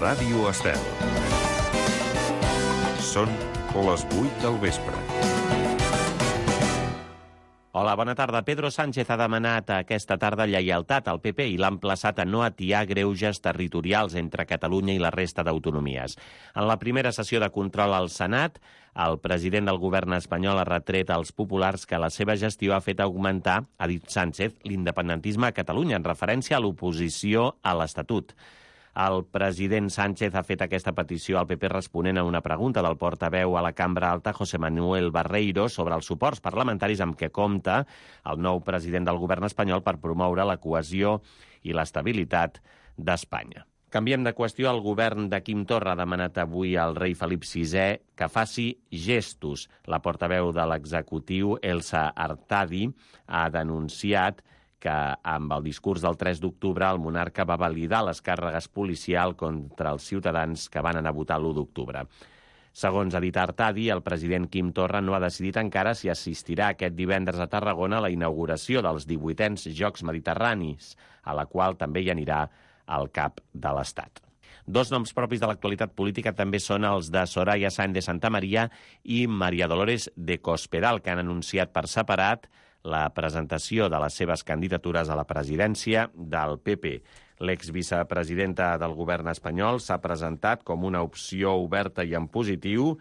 Ràdio Estel. Són les 8 del vespre. Hola, bona tarda. Pedro Sánchez ha demanat aquesta tarda lleialtat al PP i l'ha emplaçat a no atiar greuges territorials entre Catalunya i la resta d'autonomies. En la primera sessió de control al Senat, el president del govern espanyol ha retret als populars que la seva gestió ha fet augmentar, ha dit Sánchez, l'independentisme a Catalunya, en referència a l'oposició a l'Estatut. El president Sánchez ha fet aquesta petició al PP responent a una pregunta del portaveu a la Cambra Alta, José Manuel Barreiro, sobre els suports parlamentaris amb què compta el nou president del govern espanyol per promoure la cohesió i l'estabilitat d'Espanya. Canviem de qüestió. El govern de Quim Torra ha demanat avui al rei Felip VI que faci gestos. La portaveu de l'executiu, Elsa Artadi, ha denunciat que amb el discurs del 3 d'octubre el monarca va validar les càrregues policials contra els ciutadans que van anar a votar l'1 d'octubre. Segons ha dit Artadi, el president Quim Torra no ha decidit encara si assistirà aquest divendres a Tarragona a la inauguració dels 18è Jocs Mediterranis, a la qual també hi anirà el cap de l'Estat. Dos noms propis de l'actualitat política també són els de Soraya Sáenz de Santamaría i María Dolores de Cospedal, que han anunciat per separat la presentació de les seves candidatures a la presidència del PP. L'exvicepresidenta del govern espanyol s'ha presentat com una opció oberta i en positiu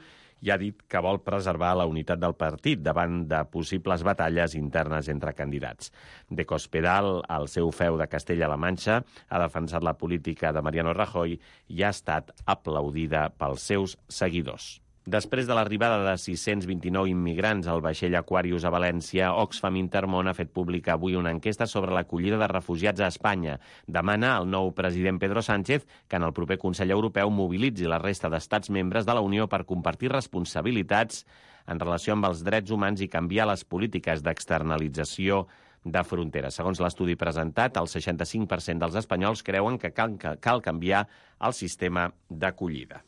i ha dit que vol preservar la unitat del partit davant de possibles batalles internes entre candidats. De Cospedal, al seu feu de Castella-La Manxa, ha defensat la política de Mariano Rajoy i ha estat aplaudida pels seus seguidors. Després de l'arribada de 629 immigrants al vaixell Aquarius a València, Oxfam Intermón ha fet pública avui una enquesta sobre l'acollida de refugiats a Espanya. Demana al nou president Pedro Sánchez que en el proper Consell Europeu mobilitzi la resta d'estats membres de la Unió per compartir responsabilitats en relació amb els drets humans i canviar les polítiques d'externalització de fronteres. Segons l'estudi presentat, el 65% dels espanyols creuen que cal canviar el sistema d'acollida.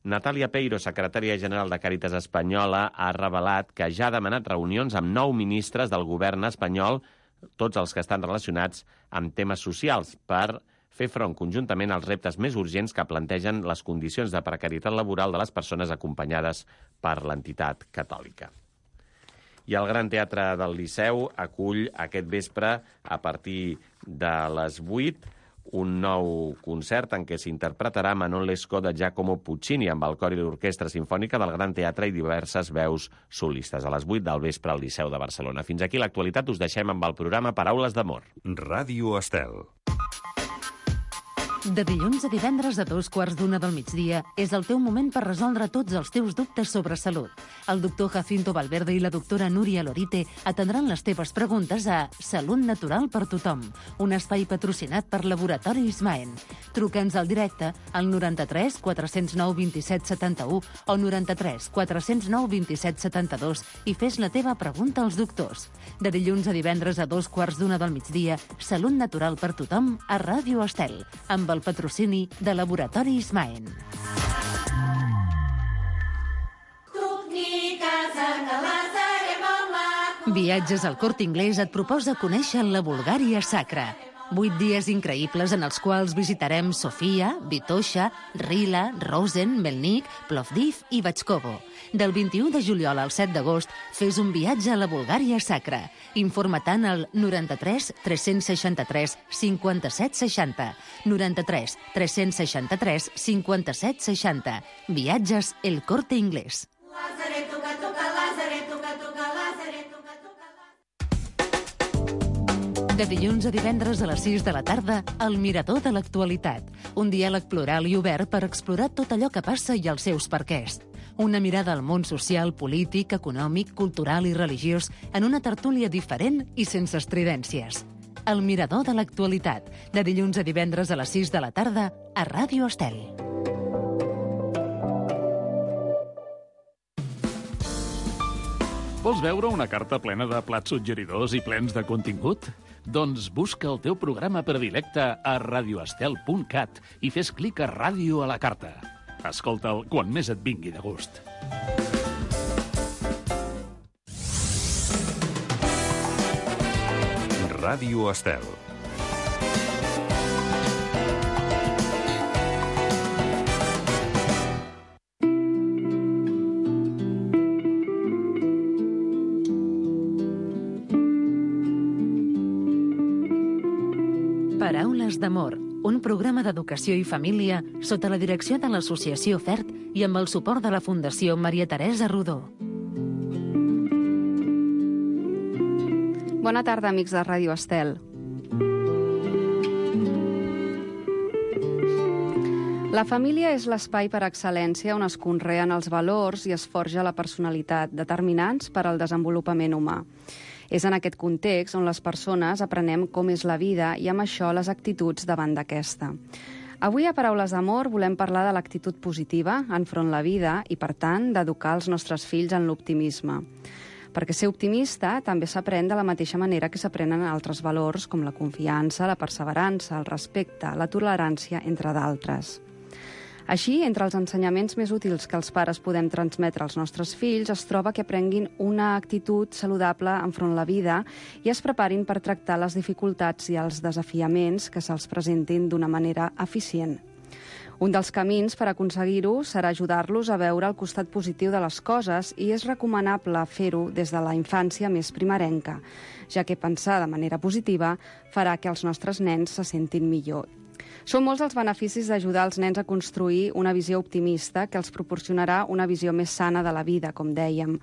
Natàlia Peiro, secretària general de Càritas Espanyola, ha revelat que ja ha demanat reunions amb 9 ministres del govern espanyol, tots els que estan relacionats amb temes socials, per fer front conjuntament als reptes més urgents que plantegen les condicions de precarietat laboral de les persones acompanyades per l'entitat catòlica. I el Gran Teatre del Liceu acull aquest vespre, a partir de les 8, un nou concert en què s'interpretarà Manon Lescaut de Giacomo Puccini amb el cor i l'orquestra simfònica del Gran Teatre i diverses veus solistes a les 8 del vespre al Liceu de Barcelona. Fins aquí l'actualitat. Us deixem amb el programa Paraules d'Amor. Ràdio Estel. De dilluns a divendres a 2:15 del migdia és el teu moment per resoldre tots els teus dubtes sobre salut. El doctor Jacinto Valverde i la doctora Núria Lorite atendran les teves preguntes a Salut Natural per Tothom, un espai patrocinat per Laboratori Ismaen. Truca'ns al directe al 93 409 27 71 o 93 409 27 72 i fes la teva pregunta als doctors. De dilluns a divendres a 2:15 del migdia, Salut Natural per Tothom a Ràdio Estel, amb el patrocini de Laboratori Ismaen. Viatges al Corte Inglés et proposa conèixer la Bulgària sacra. 8 dies increïbles en els quals visitarem Sofia, Vitoša, Rila, Rosen, Melnik, Plovdiv i Batxkovo. Del 21 de juliol al 7 d'agost, fes un viatge a la Bulgària sacra. Informa-te'n al 93 363 57 60. 93 363 57 60. Viatges El Corte Inglés. De dilluns a divendres a les 6 de la tarda, El Mirador de l'Actualitat. Un diàleg plural i obert per explorar tot allò que passa i els seus perquès. Una mirada al món social, polític, econòmic, cultural i religiós en una tertúlia diferent i sense estridències. El Mirador de l'Actualitat. De dilluns a divendres a les 6 de la tarda a Ràdio Estel. Vols veure una carta plena de plats suggeridors i plens de contingut? Doncs busca el teu programa predilecte a radioestel.cat i fes clic a Ràdio a la carta. Escolta'l quan més et vingui de gust. Ràdio Estel. Paraules d'amor, un programa d'educació i família sota la direcció de l'Associació FERT i amb el suport de la Fundació Maria Teresa Rodó. Bona tarda, amics de Ràdio Estel. La família és l'espai per excel·lència on es conreen els valors i es forja la personalitat, determinants per al desenvolupament humà. És en aquest context on les persones aprenem com és la vida i amb això les actituds davant d'aquesta. Avui a Paraules d'Amor volem parlar de l'actitud positiva enfront la vida i, per tant, d'educar els nostres fills en l'optimisme. Perquè ser optimista també s'aprèn de la mateixa manera que s'aprenen altres valors com la confiança, la perseverança, el respecte, la tolerància, entre d'altres. Així, entre els ensenyaments més útils que els pares podem transmetre als nostres fills es troba que aprenguin una actitud saludable enfront la vida i es preparin per tractar les dificultats i els desafiaments que se'ls presentin d'una manera eficient. Un dels camins per aconseguir-ho serà ajudar-los a veure el costat positiu de les coses i és recomanable fer-ho des de la infància més primerenca, ja que pensar de manera positiva farà que els nostres nens se sentin millor. Són molts els beneficis d'ajudar els nens a construir una visió optimista que els proporcionarà una visió més sana de la vida, com dèiem.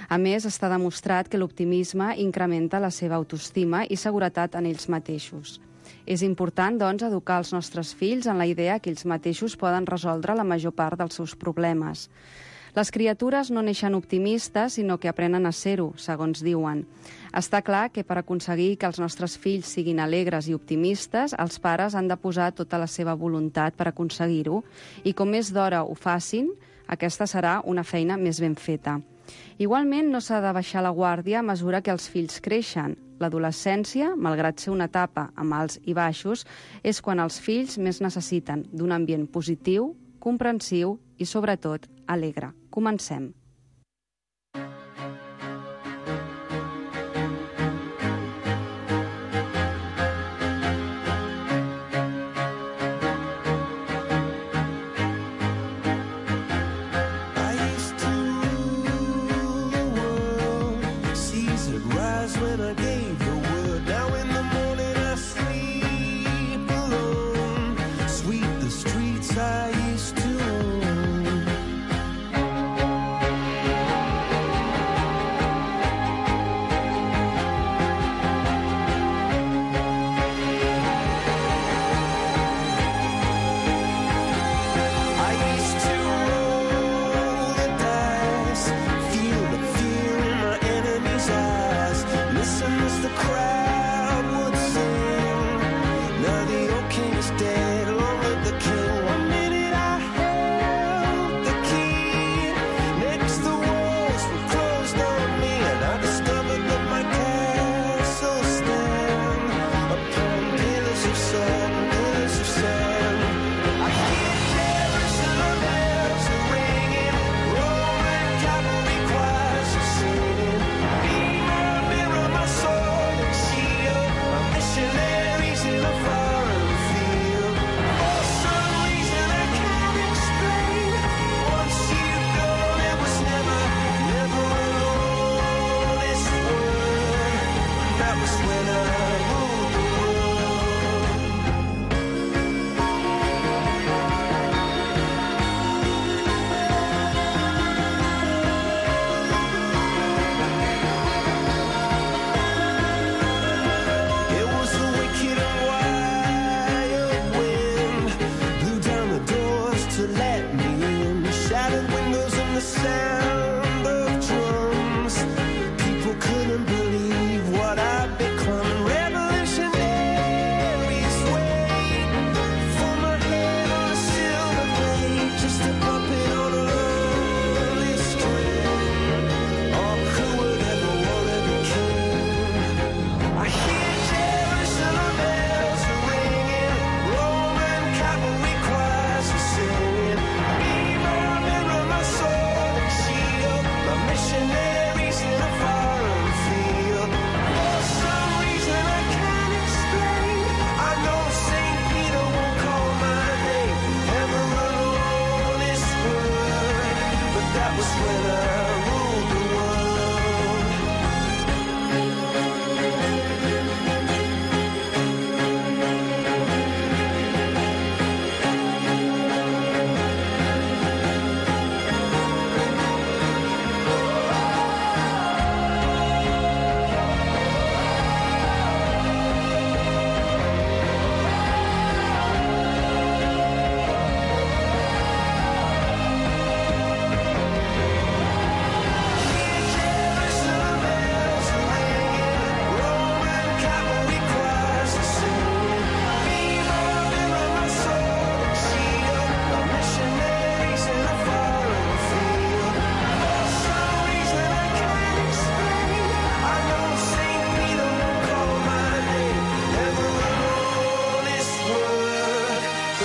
A més, està demostrat que l'optimisme incrementa la seva autoestima i seguretat en ells mateixos. És important, doncs, educar els nostres fills en la idea que ells mateixos poden resoldre la major part dels seus problemes. Les criatures no neixen optimistes, sinó que aprenen a ser-ho, segons diuen. Està clar que per aconseguir que els nostres fills siguin alegres i optimistes, els pares han de posar tota la seva voluntat per aconseguir-ho, i com més d'hora ho facin, aquesta serà una feina més ben feta. Igualment, no s'ha de baixar la guàrdia a mesura que els fills creixen. L'adolescència, malgrat ser una etapa amb alts i baixos, és quan els fills més necessiten d'un ambient positiu, comprensiu i, sobretot, alegre. Comencem.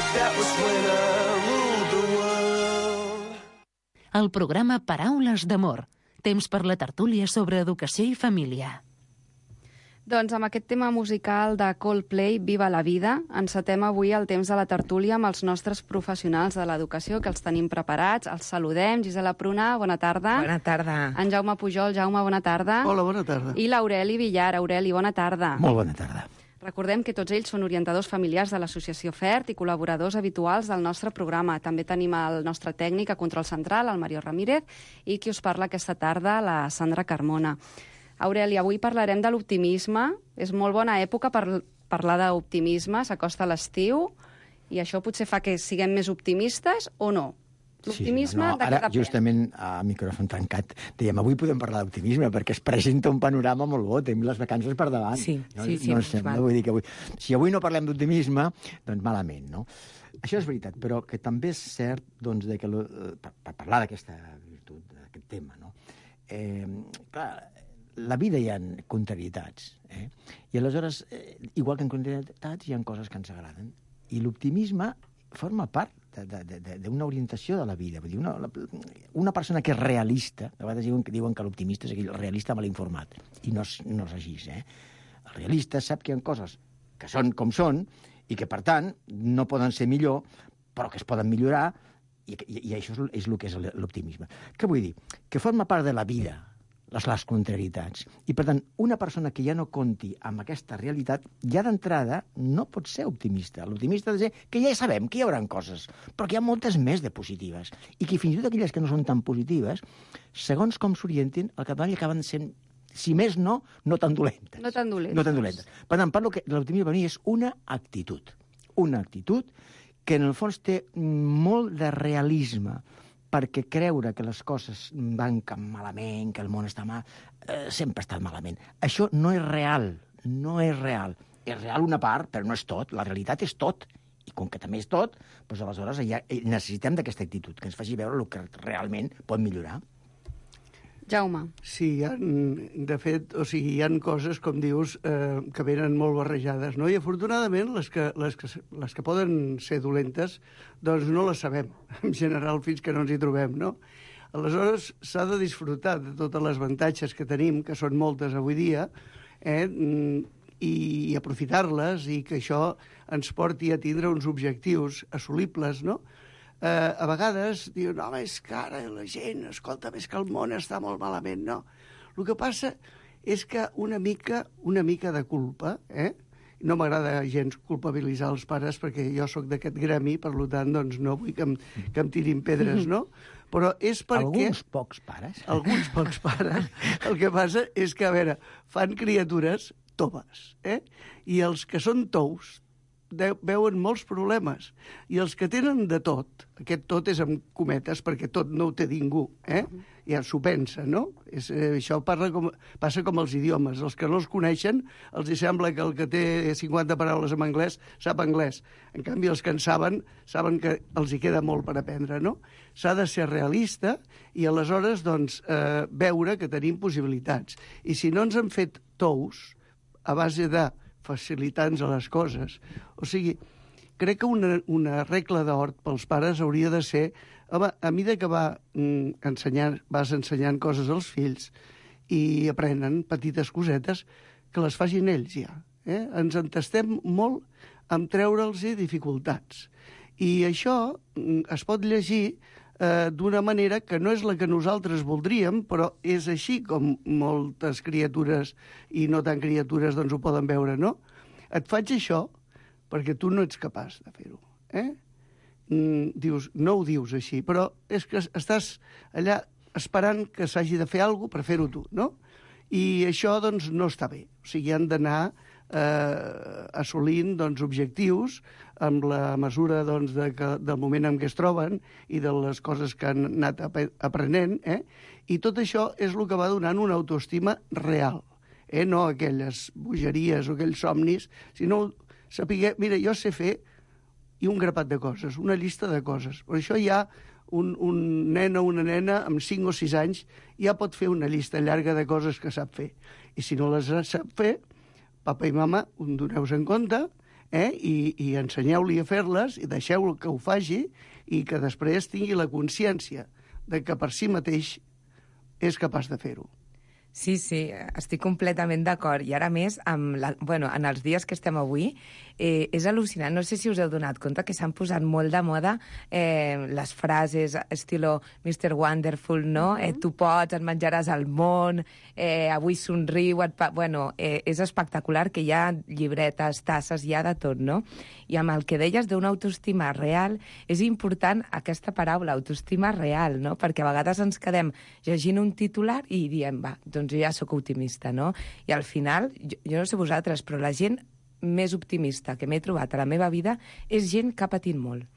but that was when I ruled the world. El programa Paraules d'Amor. Temps per la tertúlia sobre educació i família. Doncs amb aquest tema musical de Coldplay, Viva la vida, encetem avui el temps de la tertúlia amb els nostres professionals de l'educació, que els tenim preparats. Els saludem. Gisela Pruna, bona tarda. Bona tarda. En Jaume Pujol. Jaume, bona tarda. Hola, bona tarda. I l'Aureli Villar. Aureli, bona tarda. Molt bona tarda. Recordem que tots ells són orientadors familiars de l'Associació FERT i col·laboradors habituals del nostre programa. També tenim el nostre tècnic a Control Central, el Mario Ramírez, i qui us parla aquesta tarda, la Sandra Carmona. Aureli, avui parlarem de l'optimisme. És molt bona època per parlar d'optimisme, s'acosta l'estiu, i això potser fa que siguem més optimistes o no? L'optimisme de ara, cada justament, a micròfon tancat, dèiem, avui podem parlar d'optimisme, perquè es presenta un panorama molt bo, tenim les vacances per davant. Sí. Vull dir que si avui no parlem d'optimisme, doncs malament, no? Això és veritat, però que també és cert, doncs, que per parlar d'aquesta virtut, d'aquest tema, no? Clar, la vida hi ha contrarietats, i aleshores, igual que en contrarietats, hi ha coses que ens agraden, i l'optimisme forma part d'una orientació de la vida. Vull dir, una persona que és realista, a vegades diuen que l'optimista és aquell realista mal informat, i no és així, El realista sap que hi ha coses que són com són, i que, per tant, no poden ser millor, però que es poden millorar, i això és el que és l'optimisme. Què vull dir? Que forma part de la vida, les contrarietats. I, per tant, una persona que ja no compti amb aquesta realitat, ja d'entrada no pot ser optimista. L'optimista ha de ser que ja sabem que hi haurà coses, però que hi ha moltes més de positives. I que fins i tot aquelles que no són tan positives, segons com s'orientin, al capdavall acaben sent, si més no tan dolentes. No tan dolentes. No tan dolentes. Per tant, parlo que l'optimisme per mi és una actitud. Una actitud que en el fons té molt de realisme, perquè creure que les coses van malament, que el món està mal, sempre ha estat malament. Això no és real, no és real. És real una part, però no és tot. La realitat és tot. I com que també és tot, doncs aleshores ja necessitem d'aquesta actitud, que ens faci veure el que realment pot millorar. Jaume. Sí, de fet, hi ha coses, com dius, que venen molt barrejades, no? I afortunadament les que poden ser dolentes, doncs no les sabem, en general, fins que no ens hi trobem, no? Aleshores, s'ha de disfrutar de totes les avantatges que tenim, que són moltes avui dia, i aprofitar-les, i que això ens porti a tindre uns objectius assolibles, no? A vegades diuen, home, és que ara la gent, escolta, més que el món està molt malament, no? El que passa és que una mica de culpa, no m'agrada gens culpabilitzar els pares, perquè jo sóc d'aquest gremi, per tant, doncs no vull que em tirin pedres, no? Però és perquè... Alguns pocs pares. Alguns pocs pares. El que passa és que, a veure, fan criatures toves, i els que són tous veuen molts problemes. I els que tenen de tot, aquest tot és amb cometes, perquè tot no ho té ningú, ja s'ho pensa, no? Això passa com els idiomes. Els que no els coneixen, els sembla que el que té 50 paraules en anglès sap anglès. En canvi, els que en saben que els hi queda molt per aprendre, no? S'ha de ser realista i aleshores doncs, veure que tenim possibilitats. I si no ens han fet tous a base de facilitar-nos a les coses. O sigui, crec que una regla d'or pels pares hauria de ser, home, a mesura que vas ensenyant coses als fills i aprenen petites cosetes, que les facin ells ja. Ens entestem molt en treure'ls dificultats. I això es pot llegir d'una manera que no és la que nosaltres voldríem, però és així com moltes criatures i no tan criatures doncs ho poden veure, no? Et faig això perquè tu no ets capaç de fer-ho. Dius, no ho dius així, però és que estàs allà esperant que s'hagi de fer alguna cosa per fer-ho tu, no? I això doncs no està bé. O sigui, han d'anar assolint doncs, objectius amb la mesura doncs, del moment en què es troben i de les coses que han anat aprenent, i tot això és el que va donant una autoestima real, no aquelles bogeries o aquells somnis, sinó saber, mira, jo sé fer i un grapat de coses, una llista de coses. Per això ja un nen o una nena amb 5 o 6 anys ja pot fer una llista llarga de coses que sap fer. I si no les sap fer, papa i mama, doneu-vos en compte, i ensenyeu-li a fer-les i deixeu-lo que ho faci i que després tingui la consciència de que per si mateix és capaç de fer-ho. Sí, estic completament d'acord. I ara més, en els dies que estem avui, és al·lucinant. No sé si us heu donat compte que s'han posat molt de moda les frases estilo Mr. Wonderful, no? Tu pots, et menjaràs el món, avui somriu... és espectacular que hi ha llibretes, tasses, hi ha de tot, no? I amb el que deies d'una autoestima real, és important aquesta paraula, autoestima real, no? Perquè a vegades ens quedem llegint un titular i diem, doncs jo ja sóc optimista, no? I al final, jo no sé vosaltres, però la gent més optimista que m'he trobat a la meva vida és gent que ha patit molt.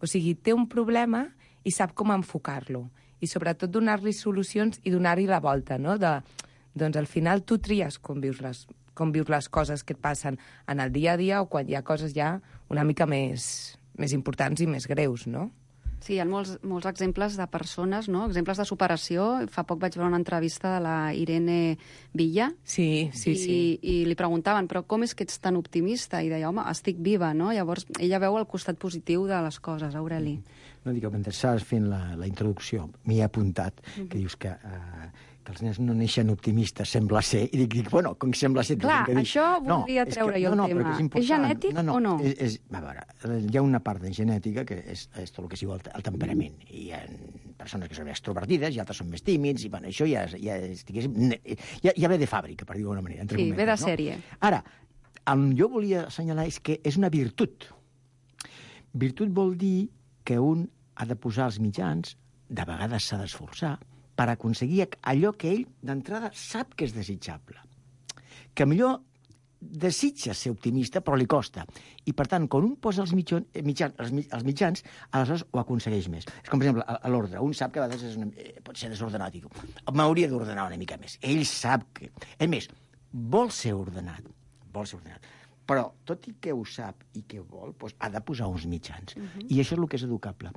O sigui, té un problema i sap com enfocar-lo. I sobretot donar-li solucions i donar-hi la volta, no? Doncs al final tu tries com vius les coses que et passen en el dia a dia o quan hi ha coses ja una mica més importants i més greus, no? Sí, hi ha molts exemples de persones, no? Exemples de superació. Fa poc vaig veure una entrevista de la Irene Villa. Sí. I li preguntaven, però com és que ets tan optimista? I deia, home, estic viva, no? Llavors, ella veu el costat positiu de les coses, Aureli. No dic, mentre estaves fent la introducció, m'hi he apuntat, que dius que els nens no neixen optimistes, sembla ser, i dic, bueno, com sembla ser... Clar, això voldria treure jo el tema. És genètic o no? A veure, hi ha una part de genètica que és tot el que es diu el temperament. Hi ha persones que són extrovertides i altres són més tímids, i bueno, això ja ve de fàbrica, per dir-ho d'alguna manera. Sí, ve de sèrie. Ara, jo volia assenyalar és que és una virtut. Virtut vol dir que un ha de posar els mitjans, de vegades s'ha d'esforçar, per aconseguir allò que ell, d'entrada, sap que és desitjable. Que millor desitja ser optimista, però li costa. I, per tant, quan un posa els mitjans, aleshores ho aconsegueix més. És com, per exemple, a l'ordre. Un sap que a vegades pot ser desordenat. M'hauria d'ordenar una mica més. Ell sap que... A més, vol ser ordenat. Però, tot i que ho sap i que vol, doncs ha de posar uns mitjans. I això és el que és educable.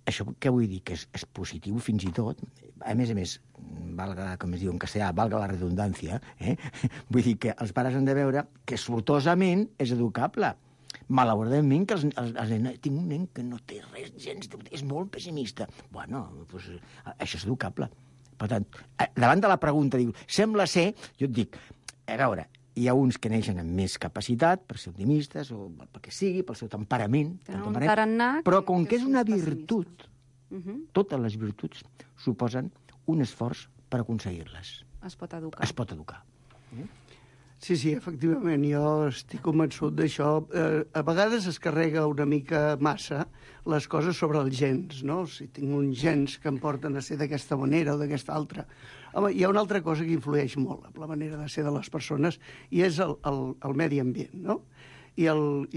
Això què vull dir? Que és positiu fins i tot. A més, valga, com es diu en castellà, valga la redundància, vull dir que els pares han de veure que sortosament és educable. Malauradament, que tinc un nen que no té res gens, és molt pessimista. Bueno, doncs, això és educable. Per tant, davant de la pregunta, diu, sembla ser, jo et dic, a veure, hi ha uns que neixen amb més capacitat per ser optimistes o pel que sigui, pel seu temperament, però com que és una virtut, totes les virtuts suposen un esforç per aconseguir-les. Es pot educar. Sí, efectivament, jo estic convençut d'això. A vegades es carrega una mica massa les coses sobre els gens, no? Si tinc uns gens que em porten a ser d'aquesta manera o d'aquesta altra. Home, hi ha una altra cosa que influeix molt en la manera de ser de les persones i és el medi ambient, no? I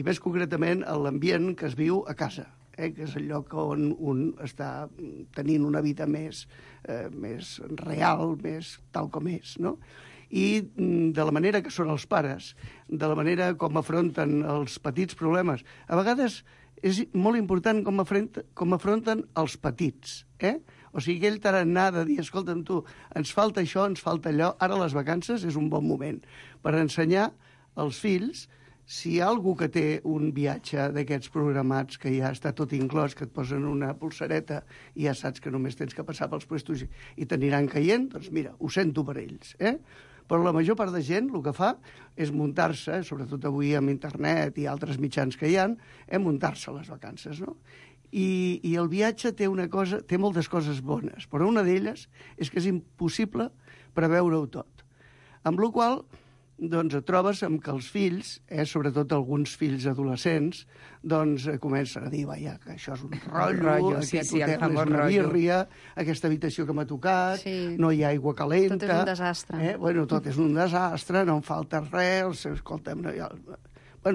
més concretament l'ambient que es viu a casa, que és el lloc on un està tenint una vida més real, més tal com és, no? I de la manera que són els pares, de la manera com afronten els petits problemes. A vegades és molt important com afronten els petits, O sigui, aquell tarannà de dir, escolta'm tu, ens falta això, ens falta allò, ara les vacances és un bon moment per ensenyar als fills si hi ha algú que té un viatge d'aquests programats que ja està tot inclòs, que et posen una pulsareta i ja saps que només tens que passar pels puestos i t'aniran caient, doncs mira, ho sento per ells, Però la major part de gent el que fa és muntar-se, sobretot avui amb internet i altres mitjans que hi ha, muntar-se a les vacances, no? I el viatge té moltes coses bones, però una d'elles és que és impossible preveure-ho tot. Amb la qual cosa, doncs et trobes amb que els fills, sobretot alguns fills adolescents, doncs comencen a dir, vaja, que això és un rotllo, aquest hotel és una birria, aquesta habitació que m'ha tocat, no hi ha aigua calenta... Tot és un desastre. Tot és un desastre, no em falta res, escolta'm...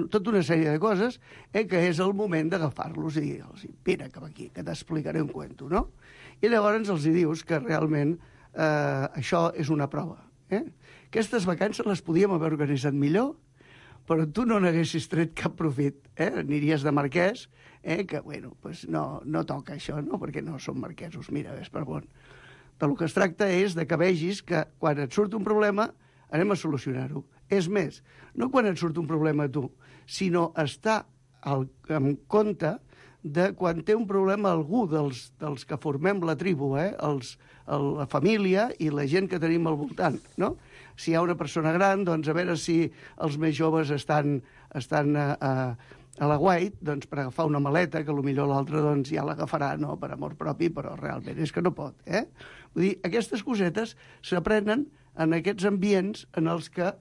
tota una sèrie de coses que és el moment d'agafar-los i dir-los, vine cap aquí, que t'explicaré un cuento, no? I llavors els dius que realment això és una prova. Aquestes vacances les podíem haver organitzat millor, però tu no n'haguessis tret cap profit. Aniries de marquès, que, bueno, no toca això, no? Perquè no som marquesos, mira, és per bon. Del que es tracta és de que vegis que quan et surt un problema anem a solucionar-ho. És més, no quan et surt un problema a tu, sinó estar en compte de quan té un problema algú dels que formem la tribu, la família i la gent que tenim al voltant, no? Si hi ha una persona gran, doncs a veure si els més joves estan a la guait, doncs per agafar una maleta, que potser l'altre doncs, ja l'agafarà, no?, per amor propi, però realment és que no pot, Vull dir, aquestes cosetes s'aprenen en aquests ambients en els que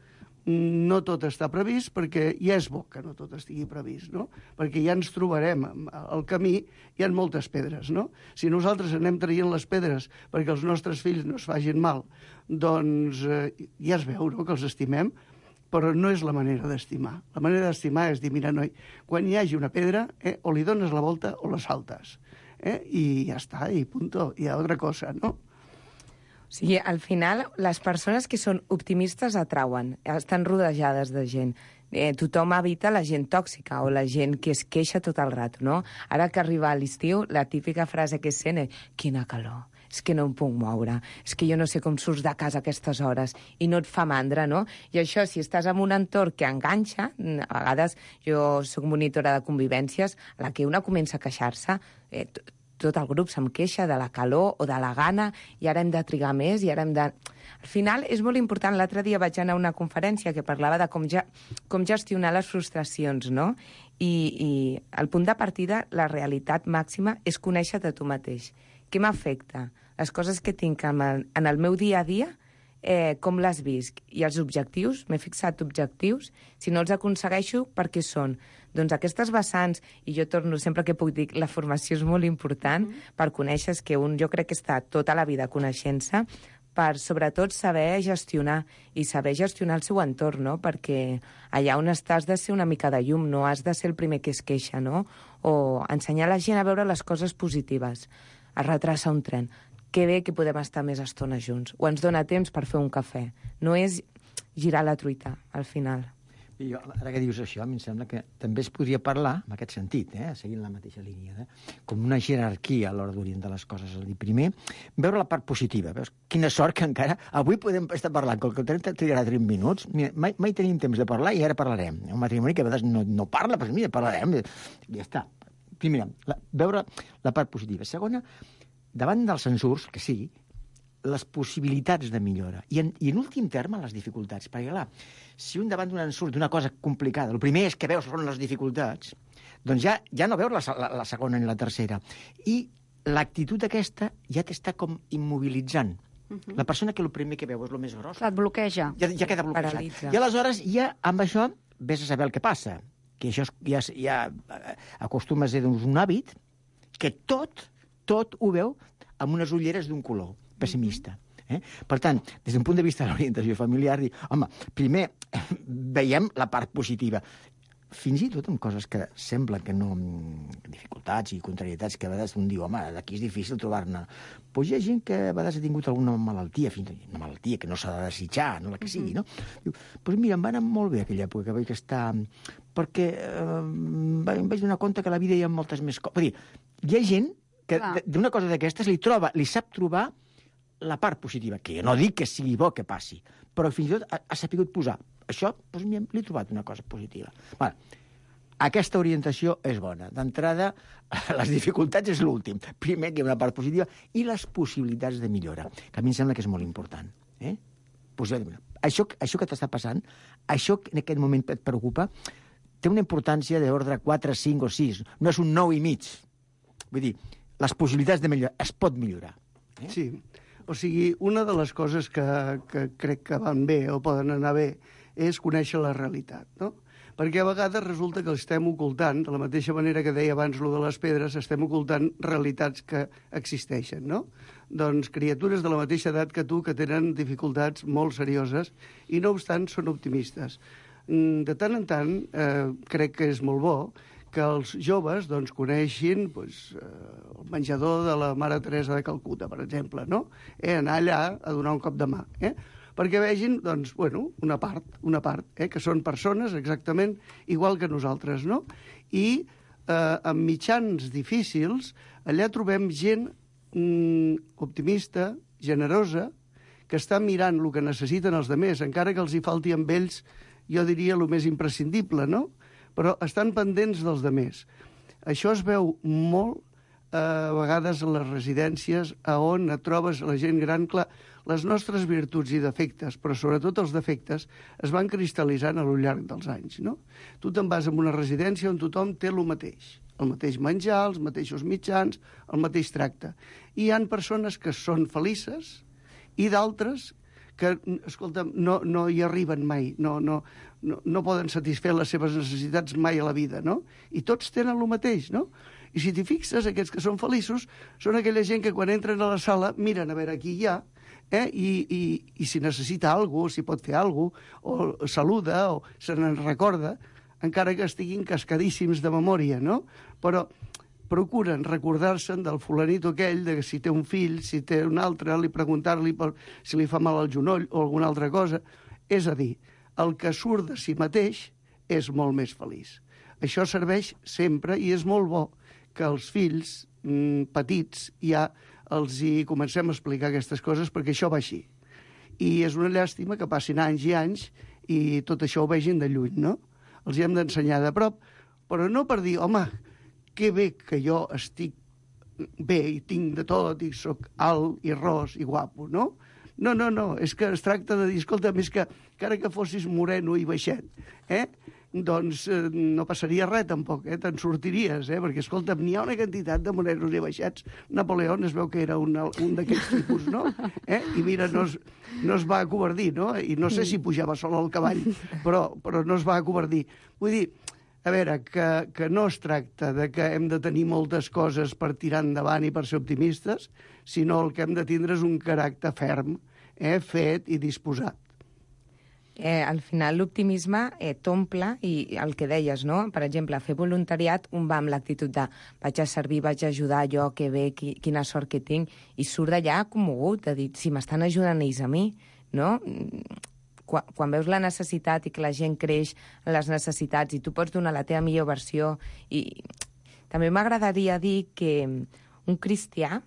no tot està previst, perquè ja és bo que no tot estigui previst, no? Perquè ja ens trobarem al camí, hi ha moltes pedres, no? Si nosaltres anem traient les pedres perquè els nostres fills no es facin mal, doncs ja es veu, no?, que els estimem, però no és la manera d'estimar. La manera d'estimar és dir, mira, noi, quan hi hagi una pedra, o li dones la volta o la saltes. I ja està, i punto, hi ha altra cosa, no? O sigui, al final, les persones que són optimistes atrauen, estan rodejades de gent. Tothom evita la gent tòxica o la gent que es queixa tot el rato, no? Ara que arriba l'estiu, la típica frase que es sent és «Quina calor, és que no em puc moure, és que jo no sé com surts de casa a aquestes hores», i no et fa mandra, no? I això, si estàs en un entorn que enganxa, a vegades jo soc monitora de convivències, a la que una comença a queixar-se, tot el grup se'm queixa de la calor o de la gana, i ara hem de trigar més, i ara hem de... Al final és molt important. L'altre dia vaig anar a una conferència que parlava de com gestionar les frustracions, no? I el punt de partida, la realitat màxima, és conèixer-te tu mateix. Què m'afecta? Les coses que tinc en el meu dia a dia, com les visc? I els objectius, m'he fixat objectius, si no els aconsegueixo, per què són? Doncs aquestes vessants, i jo torno sempre que puc dir, la formació és molt important per conèixer, que jo crec que està tota la vida coneixent-se, per sobretot saber gestionar, i saber gestionar el seu entorn, no? Perquè allà on estàs has de ser una mica de llum, no has de ser el primer que es queixa, no? O ensenyar la gent a veure les coses positives, a retrasar un tren. Que bé que podem estar més estona junts, o ens dona temps per fer un cafè. No és girar la truita, al final. I jo, ara que dius això, a mi em sembla que també es podria parlar, en aquest sentit, seguint la mateixa línia, com una jerarquia a l'hora d'orientar les coses. És a dir, primer, veure la part positiva. Veus? Quina sort que encara... Avui podem estar parlant, com que el tren trigarà 3 minuts, mira, mai tenim temps de parlar i ara parlarem. Un matrimoni que a vegades no parla, però mira, parlarem. Ja està. Primera, veure la part positiva. Segona, davant dels censurs, que sigui, les possibilitats de millora. I en últim terme, les dificultats. Perquè, clar, si un davant d'un ensurt d'una cosa complicada, el primer és que veus són les dificultats, doncs ja no veus la segona ni la tercera. I l'actitud aquesta ja t'està com immobilitzant. La persona que el primer que veu és el més gros... Et bloqueja. Ja queda bloquejat. Paralitza. I aleshores ja amb això vés a saber el que passa. Que això ja acostuma a ser un hàbit que tot ho veu amb unes ulleres d'un color pessimista. Per tant, des d'un punt de vista de l'orientació familiar, dir, home, primer veiem la part positiva. Fins i tot amb coses que semblen que no... dificultats i contrarietats que a vegades un diu, home, d'aquí és difícil trobar-ne. Doncs hi ha gent que a vegades ha tingut alguna malaltia, una malaltia que no s'ha de desitjar, no la que sigui, no? Diu, doncs mira, em va anar molt bé aquella època que vaig estar... perquè em vaig donar compte que a la vida hi ha moltes més coses. Vull dir, hi ha gent que d'una cosa d'aquestes li sap trobar la part positiva, que jo no dic que sigui bo que passi, però fins i tot ha sapigut posar. Això, doncs, li he trobat una cosa positiva. Bueno, aquesta orientació és bona. D'entrada, les dificultats és l'últim. Primer que hi ha una part positiva i les possibilitats de millora, que a mi em sembla que és molt important. Això que t'està passant, això que en aquest moment et preocupa, té una importància d'ordre 4, 5 o 6. No és un 9,5. Vull dir, les possibilitats de millorar, es pot millorar. Sí. O sigui, una de les coses que crec que van bé o poden anar bé és conèixer la realitat, no? Perquè a vegades resulta que estem ocultant, de la mateixa manera que deia abans lo de les pedres, estem ocultant realitats que existeixen, no? Doncs criatures de la mateixa edat que tu que tenen dificultats molt serioses i no obstant són optimistes. De tant en tant crec que és molt bo que els joves doncs, coneixin el menjador de la Mare Teresa de Calcuta, per exemple, no? Anar allà a donar un cop de mà, perquè vegin, doncs, una part, que són persones exactament igual que nosaltres, no? I amb mitjans difícils, allà trobem gent optimista, generosa, que està mirant el que necessiten els demés, encara que els hi falti amb ells, jo diria, el més imprescindible, no? Però estan pendents dels demés. Això es veu molt a vegades a les residències on et trobes la gent gran. Clar, les nostres virtuts i defectes, però sobretot els defectes, es van cristal·litzant a lo llarg dels anys, no? Tu te'n vas a una residència on tothom té el mateix menjar, els mateixos mitjans, el mateix tracte. I hi ha persones que són felices i d'altres que, escolta, no hi arriben mai, no poden satisfer les seves necessitats mai a la vida, no? I tots tenen el mateix, no? I si t'hi fixes, aquests que són feliços són aquella gent que quan entren a la sala miren a veure qui hi ha, i si necessita alguna cosa, si pot fer alguna cosa, o saluda, o se n'en recorda, encara que estiguin cascadíssims de memòria, no? Però procuren recordar-se'n del fulanito aquell, de que si té un fill, si té un altre, preguntar-li si li fa mal al genoll o alguna altra cosa. És a dir, el que surt de si mateix és molt més feliç. Això serveix sempre i és molt bo que els fills petits ja els hi comencem a explicar aquestes coses, perquè això va així. I és una llàstima que passin anys i anys i tot això ho vegin de lluny, no? Els hi hem d'ensenyar de prop, però no per dir, home, que bé que jo estic bé i tinc de tot i sóc alt i ros i guapo, no? No, és que es tracta de dir, escolta, més que encara que fossis moreno i baixet, doncs no passaria res tampoc, te'n sortiries, perquè, escolta, n'hi ha una quantitat de morenos i baixets. Napoleó es veu que era un d'aquests tipus, no? I mira, no es va acovardir, no? I no sé si pujava sol al cavall, però no es va acovardir. Vull dir, a veure, que no es tracta de que hem de tenir moltes coses per tirar endavant i per ser optimistes, sinó el que hem de tindre és un caràcter ferm, fet i disposat. Al final l'optimisme t'omple i el que deies, no? Per exemple, fer voluntariat, un va amb l'actitud de vaig a servir, vaig a ajudar, jo, que bé, quina sort que tinc, i surt d'allà commogut, de dir, si m'estan ajudant ells a mi, no? Quan veus la necessitat i que la gent creix en les necessitats i tu pots donar la teva millor versió. I també m'agradaria dir que un cristià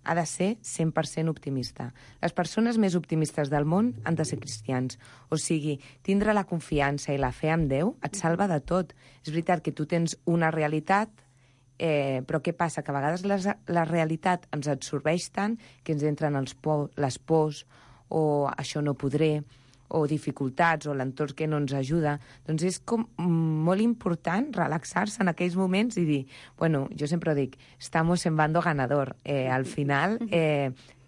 ha de ser 100% optimista. Les persones més optimistes del món han de ser cristians. O sigui, tindre la confiança i la fe en Déu et salva de tot. És veritat que tu tens una realitat, però què passa? Que a vegades la realitat ens absorbeix tant que ens entren les pors, o això no podré, o dificultats, o l'entorn que no ens ajuda. Doncs és com molt important relaxar-se en aquells moments i dir, bueno, jo sempre dic, estamos en bando ganador. Al final,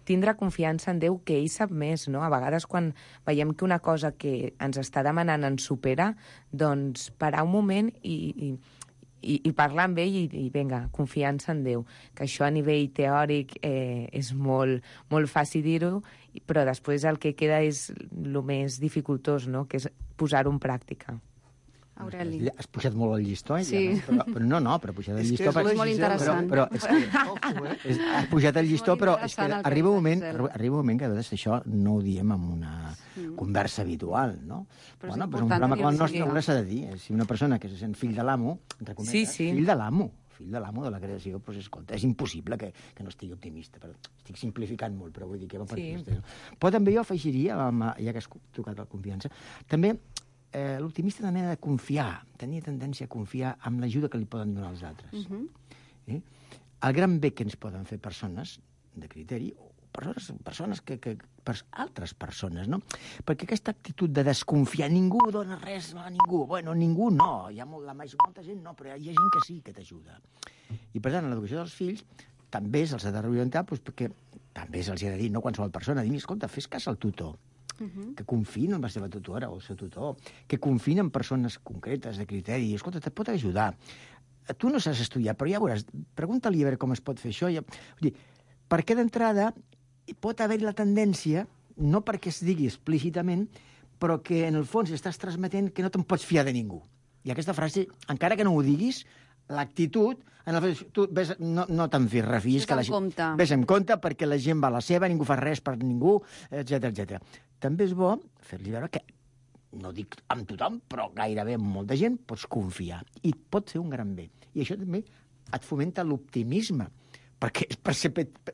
tindre confiança en Déu, que ell sap més, no? A vegades quan veiem que una cosa que ens està demanant ens supera, doncs parar un moment i parlar amb ell i vinga, confiança en Déu. Que això a nivell teòric és molt, molt fàcil dir-ho, però després el que queda és el més dificultós, no? Que és posar-ho en pràctica. Aureli. Has pujat molt el llistó, Sí. ja, però no, però pujat el llistó... És molt interessant. Però és que has pujat el llistó, però és que arriba un moment que a vegades això no ho diem en una conversa habitual, no? Però bueno, un programa com el nostre no s'ha de dir. Si una persona que se sent fill de l'amo, fill de l'amo de la creació, doncs, escolta, és impossible que no estigui optimista. Però estic simplificant molt, però vull dir que va per aquí. Però també jo afegiria, ja que has tocat la confiança, també l'optimista també ha de confiar, tenir tendència a confiar en l'ajuda que li poden donar els altres. El gran bé que ens poden fer persones de criteri, o persones altres persones, no? Perquè aquesta actitud de desconfiar, ningú dona res a ningú, bueno, ningú no, hi ha molta gent no, però hi ha gent que sí que t'ajuda. I per tant, en l'educació dels fills també se'ls ha de reorientar, perquè també se'ls ha de dir, no qualsevol persona, dir, escolta, fes cas al tutor, que confiïn en la seva tutora o el seu tutor, que confiïn en persones concretes de criteri, escolta, te pot ajudar. Tu no saps estudiar, però ja veuràs, pregunta-li a veure com es pot fer això. Vull dir, perquè d'entrada pot haver la tendència, no perquè es digui explícitament, però que en el fons estàs transmetent que no te'n pots fiar de ningú. I aquesta frase, encara que no ho diguis, l'actitud, tu no te'n refiïs, ves en compte perquè la gent va a la seva, ningú fa res per ningú, etc. També és bo fer-li veure que, no dic amb tothom, però gairebé amb molta gent pots confiar i pot fer un gran bé. I això també et fomenta l'optimisme, perquè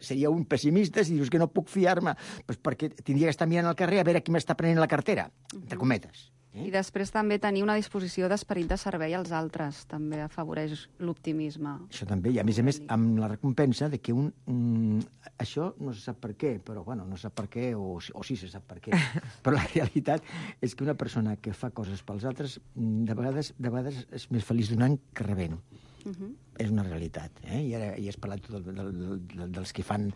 seria un pessimista si dius que no puc fiar-me, perquè tindria que estar mirant al carrer a veure qui m'està prenent la cartera, entre cometes. I després també tenir una disposició d'esperit de servei als altres també afavoreix l'optimisme. Això també, i a més, amb la recompensa de que això no se sap per què, però, bueno, no se sap per què, o sí se sap per què, però la realitat és que una persona que fa coses pels altres de vegades és més feliç donant que rebent. És una realitat, I ara has parlat dels que fan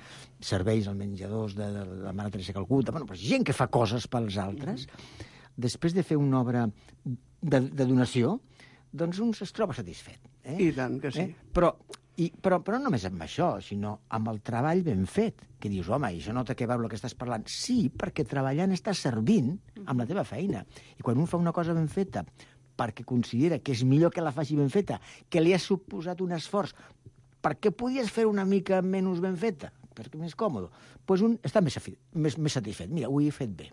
serveis als menjadors de la Mare Teresa de Calcuta, bueno, però gent que fa coses pels altres, després de fer una obra de donació, doncs un es troba satisfet. I tant que sí. Però no només amb això, sinó amb el treball ben fet, que dius, home, i això no té que veure el que estàs parlant. Sí, perquè treballant estàs servint amb la teva feina. I quan un fa una cosa ben feta perquè considera que és millor que la faci ben feta, que li ha suposat un esforç, perquè podies fer una mica menys ben feta, perquè més còmode, doncs un està més satisfet. Mira, ho he fet bé.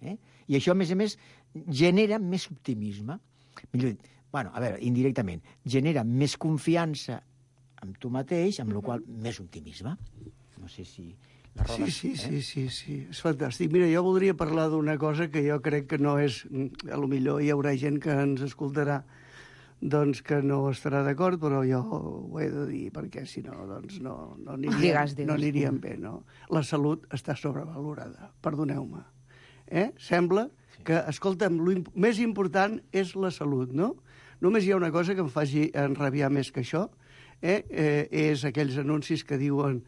I això, a més, genera més optimisme. Millor dit, indirectament, genera més confiança en tu mateix, amb la qual més optimisme. No sé si... Sí, és fantàstic. Mira, jo voldria parlar d'una cosa que jo crec que no és... A lo millor hi haurà gent que ens escoltarà doncs que no estarà d'acord, però jo ho he de dir, perquè si no, doncs no aniríem bé, no? La salut està sobrevalorada, perdoneu-me. Sembla que, escolta'm, el més important és la salut, no? Només hi ha una cosa que em faci enrabiar més que això, és aquells anuncis que diuen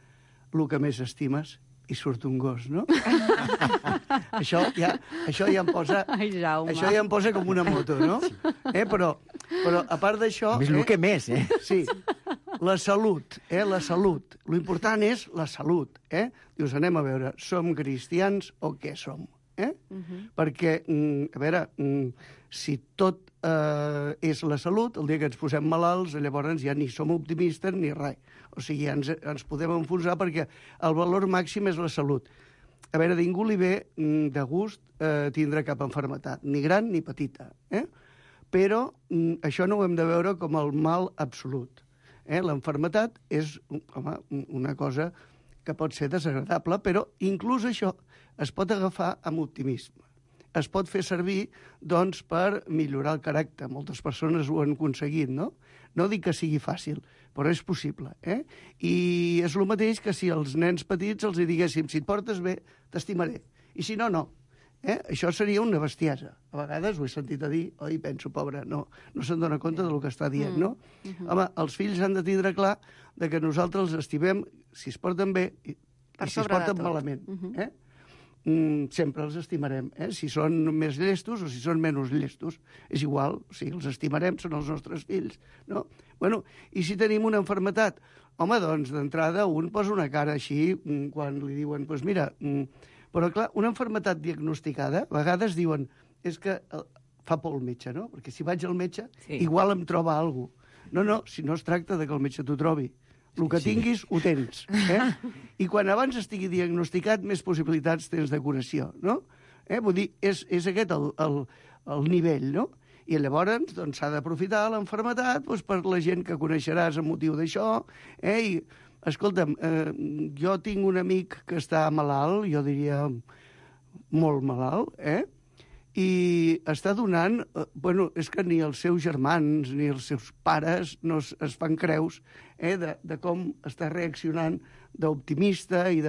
el que més estimes i surt un gos, no? Això ja em posa... Ai, Jaume. Això ja em posa com una moto, no? Però a part d'això... Més el que més, Sí. La salut, la salut. Lo important és la salut, Dius, anem a veure, som cristians o què som? Perquè, a veure, si tot és la salut, el dia que ens posem malalts, llavors ja ni som optimistes ni res. O sigui, ens podem enfonsar perquè el valor màxim és la salut. A veure, ningú li ve de gust tindre cap malaltia, ni gran ni petita. Però això no ho hem de veure com el mal absolut. La malaltia és una cosa que pot ser desagradable, però inclús això es pot agafar amb optimisme. Es pot fer servir, doncs, per millorar el caràcter. Moltes persones ho han aconseguit, no? No dic que sigui fàcil, però és possible, I és el mateix que si als nens petits els diguéssim, si et portes bé, t'estimaré, i si no, no. Això seria una bestiesa. A vegades ho he sentit a dir, oi, penso, pobre, no se'n dona compte del que està dient, no? Home, els fills han de tindre clar de que nosaltres els estimem si es porten bé i si es porten malament, sempre els estimarem, si són més llestos o si són menys llestos. És igual, o sigui, els estimarem, són els nostres fills, no? Bueno, i si tenim una malaltia? Home, doncs, d'entrada, un posa una cara així quan li diuen, doncs mira, però clar, una malaltia diagnosticada, a vegades diuen, és que fa por el metge, no? Perquè si vaig al metge, igual em troba alguna cosa. No, si no es tracta de que el metge t'ho trobi. El que tinguis, ho tens. I quan abans estigui diagnosticat, més possibilitats tens de curació, no? Vull dir, és aquest el nivell, no? I llavors doncs, s'ha d'aprofitar la malaltia per la gent que coneixeràs a motiu d'això. I, escolta'm, jo tinc un amic que està malalt, jo diria molt malalt, i està donant... Bueno, és que ni els seus germans ni els seus pares no es fan creus de com està reaccionant d'optimista i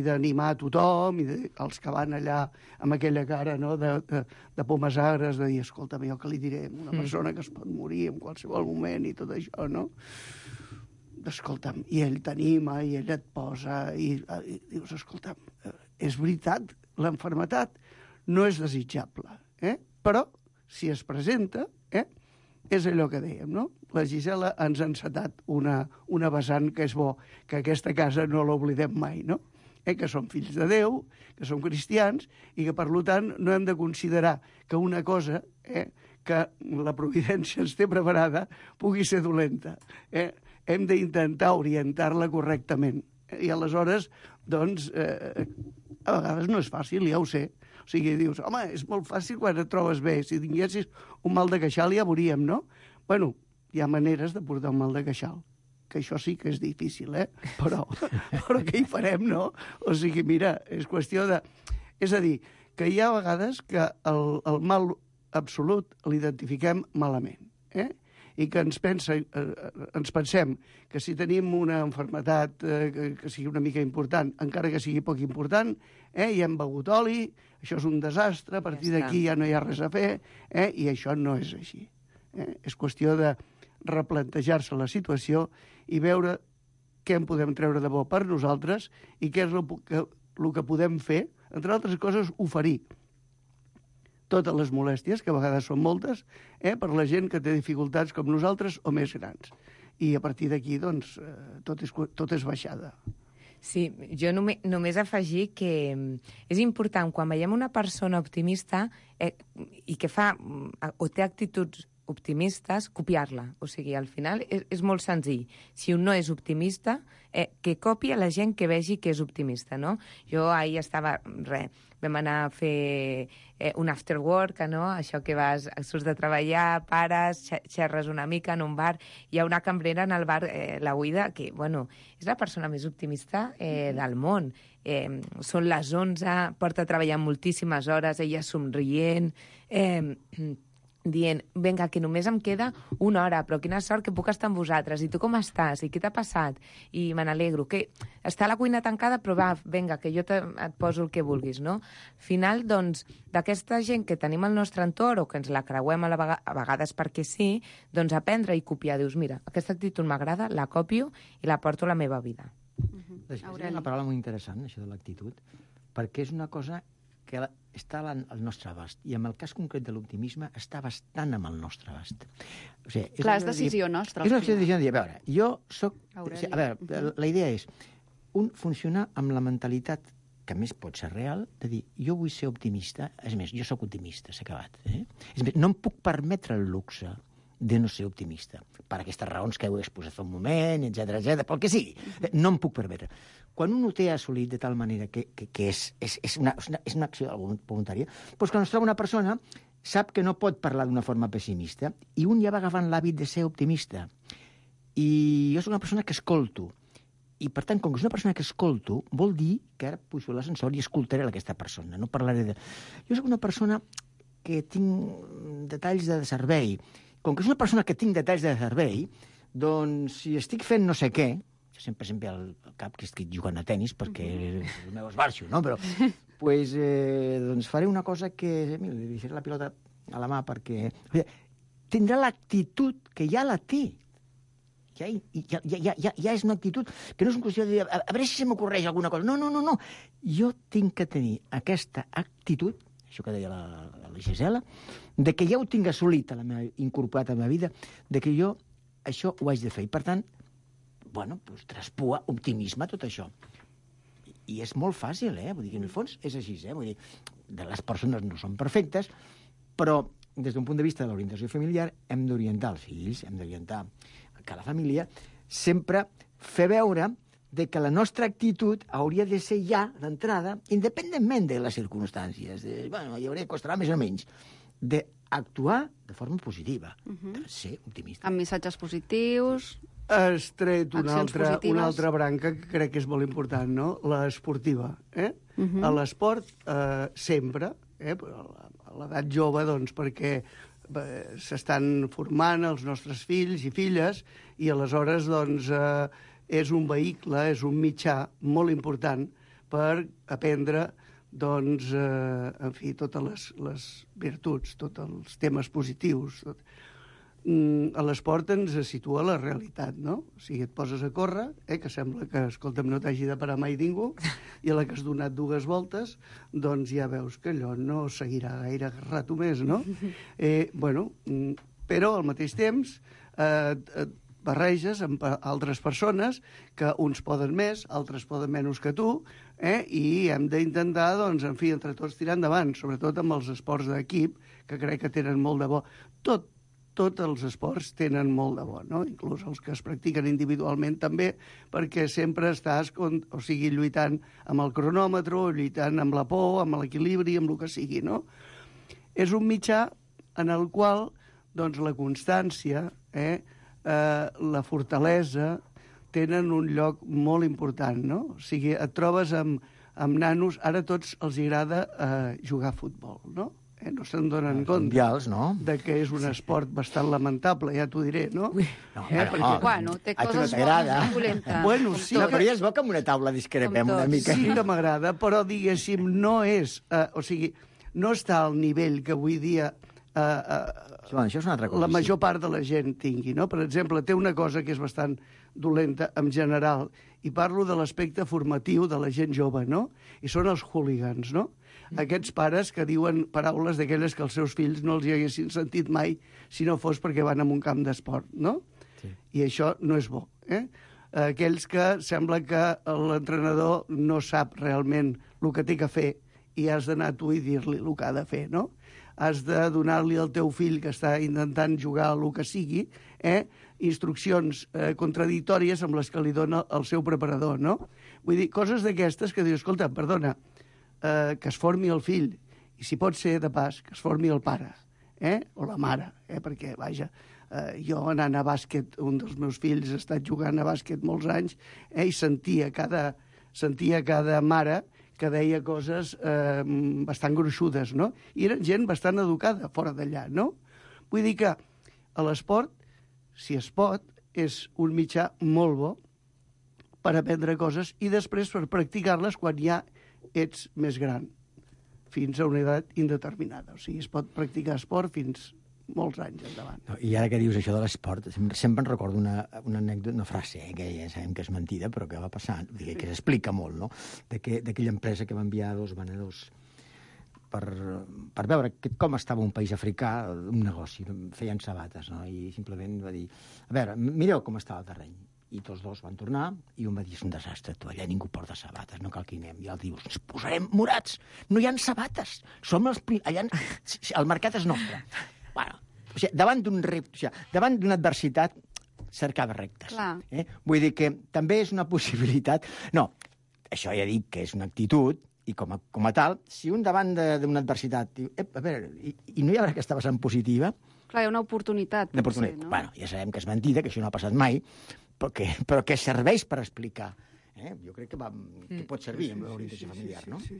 d'animar a tothom, i els que van allà amb aquella cara, no, de pomes agres, de dir, escolta'm, jo què li diré a una persona que es pot morir en qualsevol moment i tot això, no? Escolta'm, i ell t'anima, i ell et posa, i dius, escolta'm, és veritat, la malaltia no és desitjable, però si es presenta, és allò que dèiem, no? La Gisela ens ha encetat una vessant que és bo, que aquesta casa no l'oblidem mai, no? Que som fills de Déu, que som cristians, i que, per tant, no hem de considerar que una cosa que la providència ens té preparada pugui ser dolenta. Hem d'intentar orientar-la correctament. I aleshores, doncs, a vegades no és fàcil, ja ho sé. O sigui, dius, home, és molt fàcil quan et trobes bé. Si tinguessis un mal de queixal ja veuríem, no? Bueno, hi ha maneres de portar un mal de queixal. que això sí que és difícil, però què hi farem, no? O sigui, mira, és qüestió de... És a dir, que hi ha vegades que el mal absolut l'identifiquem malament, i que ens pensem que si tenim una malaltia que sigui una mica important, encara que sigui poc important, i hem begut oli, això és un desastre, a partir d'aquí ja no hi ha res a fer, i això no és així. És qüestió de replantejar-se la situació i veure què en podem treure de bo per nosaltres i què és el que podem fer, entre altres coses, oferir totes les molèsties, que a vegades són moltes, per la gent que té dificultats com nosaltres o més grans. I a partir d'aquí, doncs, tot és baixada. Sí, jo només afegir que és important, quan veiem una persona optimista i que fa o té actituds optimistes, copiar-la. O sigui, al final és molt senzill. Si un no és optimista, que copi a la gent que vegi que és optimista, no? Jo ahir vam anar a fer un after work, no? Això que surts de treballar, pares, xerres una mica en un bar. Hi ha una cambrera en el bar, la Guida, que, bueno, és la persona més optimista del món. Són les 11, porta treballant moltíssimes hores, ella somrient, dient, vinga, que només em queda una hora, però quina sort que puc estar amb vosaltres, i tu com estàs, i què t'ha passat? I me n'alegro, que està la cuina tancada, però va, vinga, que jo et poso el que vulguis, no? Al final, doncs, d'aquesta gent que tenim al nostre entorn, o que ens la creuem a vegades perquè sí, doncs aprendre i copiar, dius, mira, aquesta actitud m'agrada, la copio i la porto a la meva vida. És una paraula molt interessant, això de l'actitud, perquè és una cosa que està al nostre abast. I en el cas concret de l'optimisme està bastant amb el nostre abast. O sigui, clar, és decisió nostra. És una decisió de dir, a veure, jo soc... A veure, la idea és funcionar amb la mentalitat, que a més pot ser real, de dir, jo vull ser optimista, és més, jo sóc optimista, s'ha acabat. És més, no em puc permetre el luxe de no ser optimista, per aquestes raons que heu exposat fa un moment, etc, pel que sigui. No em puc permetre. Quan un ho té assolit de tal manera que és una acció voluntària, doncs quan es troba una persona sap que no pot parlar d'una forma pessimista i un ja va agafant l'hàbit de ser optimista. I jo soc una persona que escolto. I, per tant, com que és una persona que escolto, vol dir que ara pujo a l'ascensor i escoltaré aquesta persona. No parlaré de... Jo soc una persona que tinc detalls de servei. Com que és una persona que tinc detalls de servei, doncs, si estic fent no sé què, jo sempre al cap que estic jugant a tenis perquè el meu esbarxo, no? Però, doncs faré una cosa que... Mira, li deixaré la pilota a la mà perquè... Tindrà l'actitud que ja la té. Ja és una actitud que no és una qüestió de dir, a veure si se m'ocorreix alguna cosa. No. Jo tinc que tenir aquesta actitud, això que deia la Gisela, de que ja ho tinc assolit incorporat a la meva vida, de que jo això ho haig de fer. I, per tant, doncs traspua optimisme tot això. I és molt fàcil, Vull dir que en el fons és així, Vull dir, les persones no són perfectes, però des d'un punt de vista de l'orientació familiar hem d'orientar els fills, hem d'orientar que la família sempre fer veure de que la nostra actitud hauria de ser ja, d'entrada, independentment de les circumstàncies, hi costarà més o menys, d'actuar de forma positiva, de ser optimista. Amb missatges positius... Has tret una altra branca que crec que és molt important, no? L'esportiva. A l'esport, sempre, a l'edat jove, doncs, perquè s'estan formant els nostres fills i filles i aleshores, doncs, és un vehicle, és un mitjà molt important per aprendre, doncs, en fi, totes les virtuts, tots els temes positius, a l'esport ens situa la realitat, no? O sigui, et poses a córrer, que sembla que, escolta'm, no t'hagi de parar mai ningú, i a la que has donat 2 voltes, doncs ja veus que allò no seguirà gaire rato més, no? Però al mateix temps barreges amb altres persones que uns poden més, altres poden menys que tu, i hem d'intentar, doncs, en fi, entre tots tirar endavant, sobretot amb els esports d'equip, que crec que tenen molt de bo. Tots els esports tenen molt de bo, no? Inclús els que es practiquen individualment també, perquè sempre estàs lluitant amb el cronòmetre, lluitant amb la por, amb l'equilibri, amb el que sigui, no? És un mitjà en el qual doncs, la constància, la fortalesa tenen un lloc molt important, no? O sigui, et trobes amb nanos, ara a tots els agrada jugar a futbol, no? No se'n donen compte mundials, no? De que és un esport bastant lamentable, ja t'ho diré, no? Bueno, té coses bones i dolentes. Bueno, sí, no, però ja es veu que amb una taula discrepem una mica. Sí que m'agrada, però diguéssim, no és... o sigui, no està al nivell que avui dia això és una altra cosa, la major part de la gent tingui, no? Per exemple, té una cosa que és bastant dolenta en general, i parlo de l'aspecte formatiu de la gent jove, no? I són els hooligans, no? Aquests pares que diuen paraules d'aquelles que els seus fills no els hi haguessin sentit mai si no fos perquè van a un camp d'esport, no? Sí. I això no és bo, Aquells que sembla que l'entrenador no sap realment el que té que fer i has d'anar tu i dir-li el que ha de fer, no? Has de donar-li al teu fill que està intentant jugar a el que sigui, instruccions contradictòries amb les que li dona el seu preparador, no? Vull dir, coses d'aquestes que dius, escolta, perdona, que es formi el fill, i si pot ser de pas, que es formi el pare, o la mare, perquè, vaja, jo anant a bàsquet, un dels meus fills ha estat jugant a bàsquet molts anys, i sentia cada mare que deia coses bastant gruixudes, no? I eren gent bastant educada fora d'allà, no? Vull dir que a l'esport, si es pot, és un mitjà molt bo per aprendre coses i després per practicar-les quan ja ets més gran, fins a una edat indeterminada. O sigui, es pot practicar esport fins molts anys endavant. No, i ara que dius això de l'esport, sempre en recordo una anècdota, una frase, que ja sabem que és mentida, però que va passar, que s'explica molt, no? D'aquella empresa que va enviar 2 venedors per veure com estava un país africà, un negoci, feien sabates, no? I simplement va dir, a veure, mireu com està el terreny. I tots 2 van tornar, i un va dir, és un desastre, tu, allà ningú porta sabates, no cal que hi anem. I l'altre diu, ens posarem morats, no hi ha sabates, som els allà, el mercat és nostre. Bueno, o sigui, davant d'una adversitat, cercava rectes. Vull dir que també és una possibilitat... No, això ja dic que és una actitud, i com a tal, si un davant d'una adversitat diu, a veure, i no hi haurà aquesta vessant positiva... Clar, hi ha una oportunitat, potser, no? Bueno, ja sabem que és mentida, que això no ha passat mai, però que serveix per explicar. Jo crec que pot servir amb l'orientació familiar, no? Sí.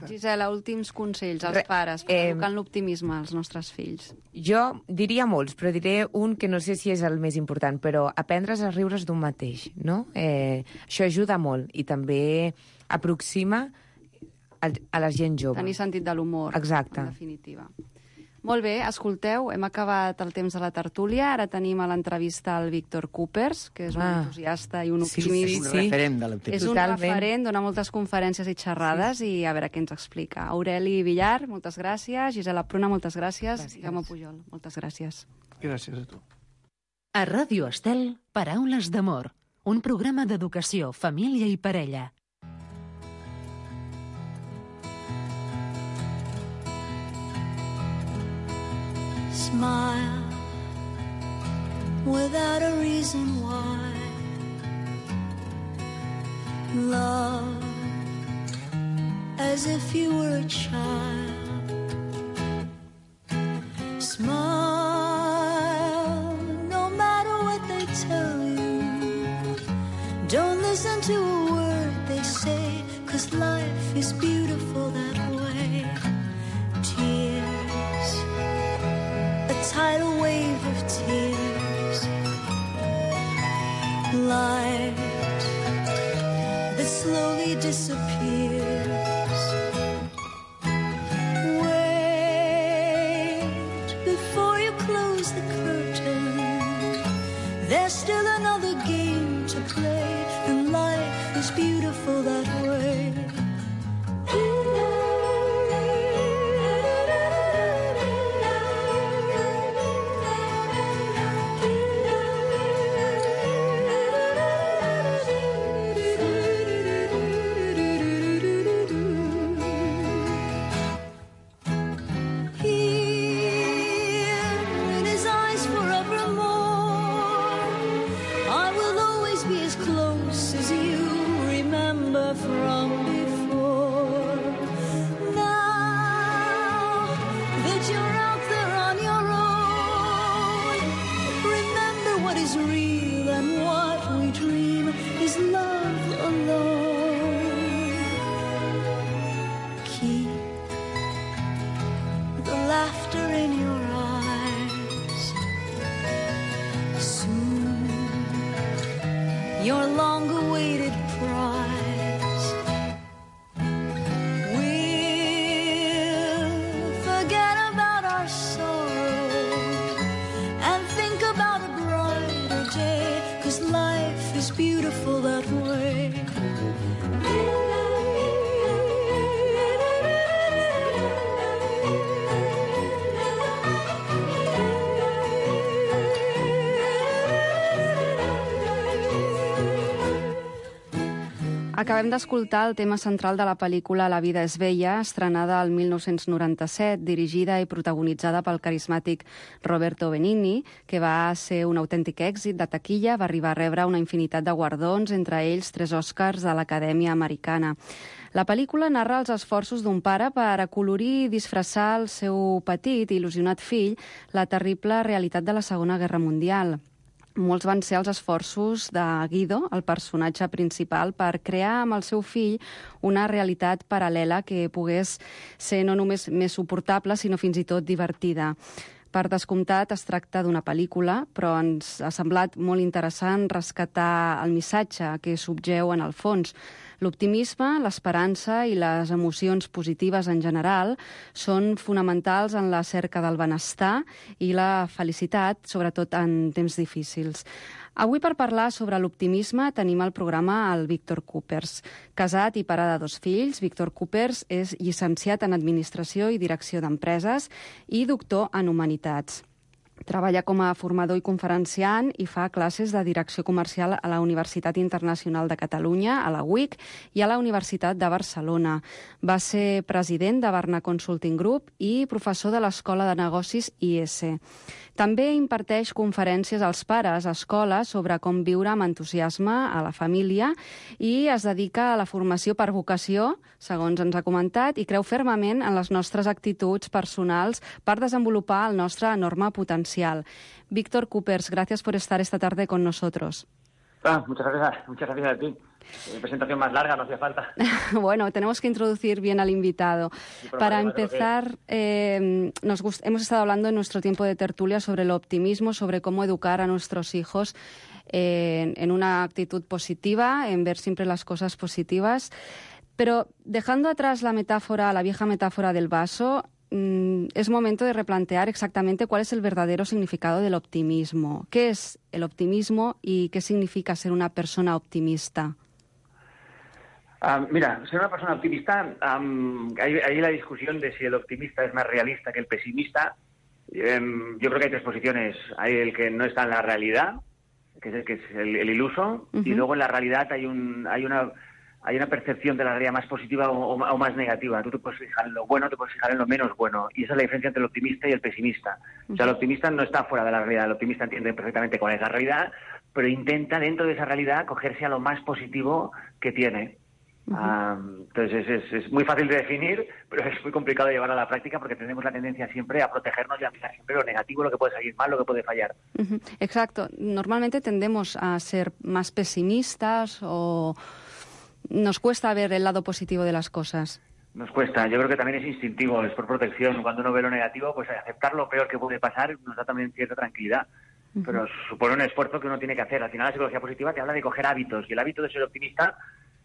Gisela, últims consells als pares per educar en l'optimisme als nostres fills. Jo diria molts, però diré un que no sé si és el més important, però aprendre's a riure's d'un mateix, no? Això ajuda molt i també aproxima a la gent jove. Tenir sentit de l'humor, exacte, en definitiva. Molt bé, escolteu, hem acabat el temps de la tertúlia. Ara tenim a l'entrevista el Víctor Coopers, que és un entusiasta i un optimista. És un referent de l'optimisme. És un referent, dona moltes conferències i xerrades i a veure què ens explica. Aureli Villar, moltes gràcies. Gisela Pruna, moltes gràcies. Jaume Pujol, moltes gràcies. Gràcies a tu. A Ràdio Estel, Paraules d'amor, un programa d'educació, família i parella. Smile without a reason why. Love as if you were a child. Smile no matter what they tell you. Don't listen to a word they say, 'cause life is beautiful that way. Tears, a tidal wave of tears, light that slowly disappears. Wait before you close the curtain. There's still another game to play, and life is beautiful that way. Real and what we dream Soon, your long-awaited prize will forget about our sorrow and think about a brighter day, 'cause life is beautiful that way. Acabem d'escoltar el tema central de la pel·lícula La vida és bella, estrenada el 1997, dirigida i protagonitzada pel carismàtic Roberto Benigni, que va ser un autèntic èxit de taquilla, va arribar a rebre una infinitat de guardons, entre ells 3 Oscars de l'Acadèmia Americana. La pel·lícula narra els esforços d'un pare per acolorir i disfressar el seu petit i il·lusionat fill la terrible realitat de la Segona Guerra Mundial. Molts van ser els esforços de Guido, el personatge principal, per crear amb el seu fill una realitat paral·lela que pogués ser no només més suportable, sinó fins i tot divertida. Per descomptat, es tracta d'una pel·lícula, però ens ha semblat molt interessant rescatar el missatge que subjeu en el fons. L'optimisme, l'esperança i les emocions positives en general són fonamentals en la cerca del benestar i la felicitat, sobretot en temps difícils. Avui, per parlar sobre l'optimisme, tenim al programa el Víctor Coopers. Casat i pare de 2 fills, Víctor Coopers és llicenciat en Administració i Direcció d'Empreses i doctor en Humanitats. Treballa com a formador i conferenciant i fa classes de direcció comercial a la Universitat Internacional de Catalunya, a la UIC, i a la Universitat de Barcelona. Va ser president de Barna Consulting Group i professor de l'Escola de Negocis IS. També imparteix conferències als pares a escoles sobre com viure amb entusiasme a la família i es dedica a la formació per vocació, segons ens ha comentat, i creu fermament en les nostres actituds personals per desenvolupar el nostre enorme potencial. Víctor Coopers, gracias por estar esta tarde con nosotros. Muchas gracias a ti. Presentación más larga, no hacía falta. Bueno, tenemos que introducir bien al invitado. Para empezar, hemos estado hablando en nuestro tiempo de tertulia sobre el optimismo, sobre cómo educar a nuestros hijos en una actitud positiva, en ver siempre las cosas positivas. Pero dejando atrás la vieja metáfora del vaso, es momento de replantear exactamente cuál es el verdadero significado del optimismo. ¿Qué es el optimismo y qué significa ser una persona optimista? Mira, ser una persona optimista, hay la discusión de si el optimista es más realista que el pesimista. Yo creo que hay 3 posiciones. Hay el que no está en la realidad, que es el iluso, y luego en la realidad hay una percepción de la realidad más positiva o más negativa. Tú te puedes fijar en lo bueno, te puedes fijar en lo menos bueno. Y esa es la diferencia entre el optimista y el pesimista. O sea, el optimista no está fuera de la realidad. El optimista entiende perfectamente cuál es la realidad, pero intenta dentro de esa realidad cogerse a lo más positivo que tiene. Entonces es muy fácil de definir, pero es muy complicado de llevar a la práctica porque tenemos la tendencia siempre a protegernos y a mirar siempre lo negativo, lo que puede salir mal, lo que puede fallar. Exacto. Normalmente tendemos a ser más pesimistas o nos cuesta ver el lado positivo de las cosas. Nos cuesta. Yo creo que también es instintivo, es por protección. Cuando uno ve lo negativo, pues aceptar lo peor que puede pasar nos da también cierta tranquilidad. Pero supone un esfuerzo que uno tiene que hacer. Al final la psicología positiva te habla de coger hábitos, y el hábito de ser optimista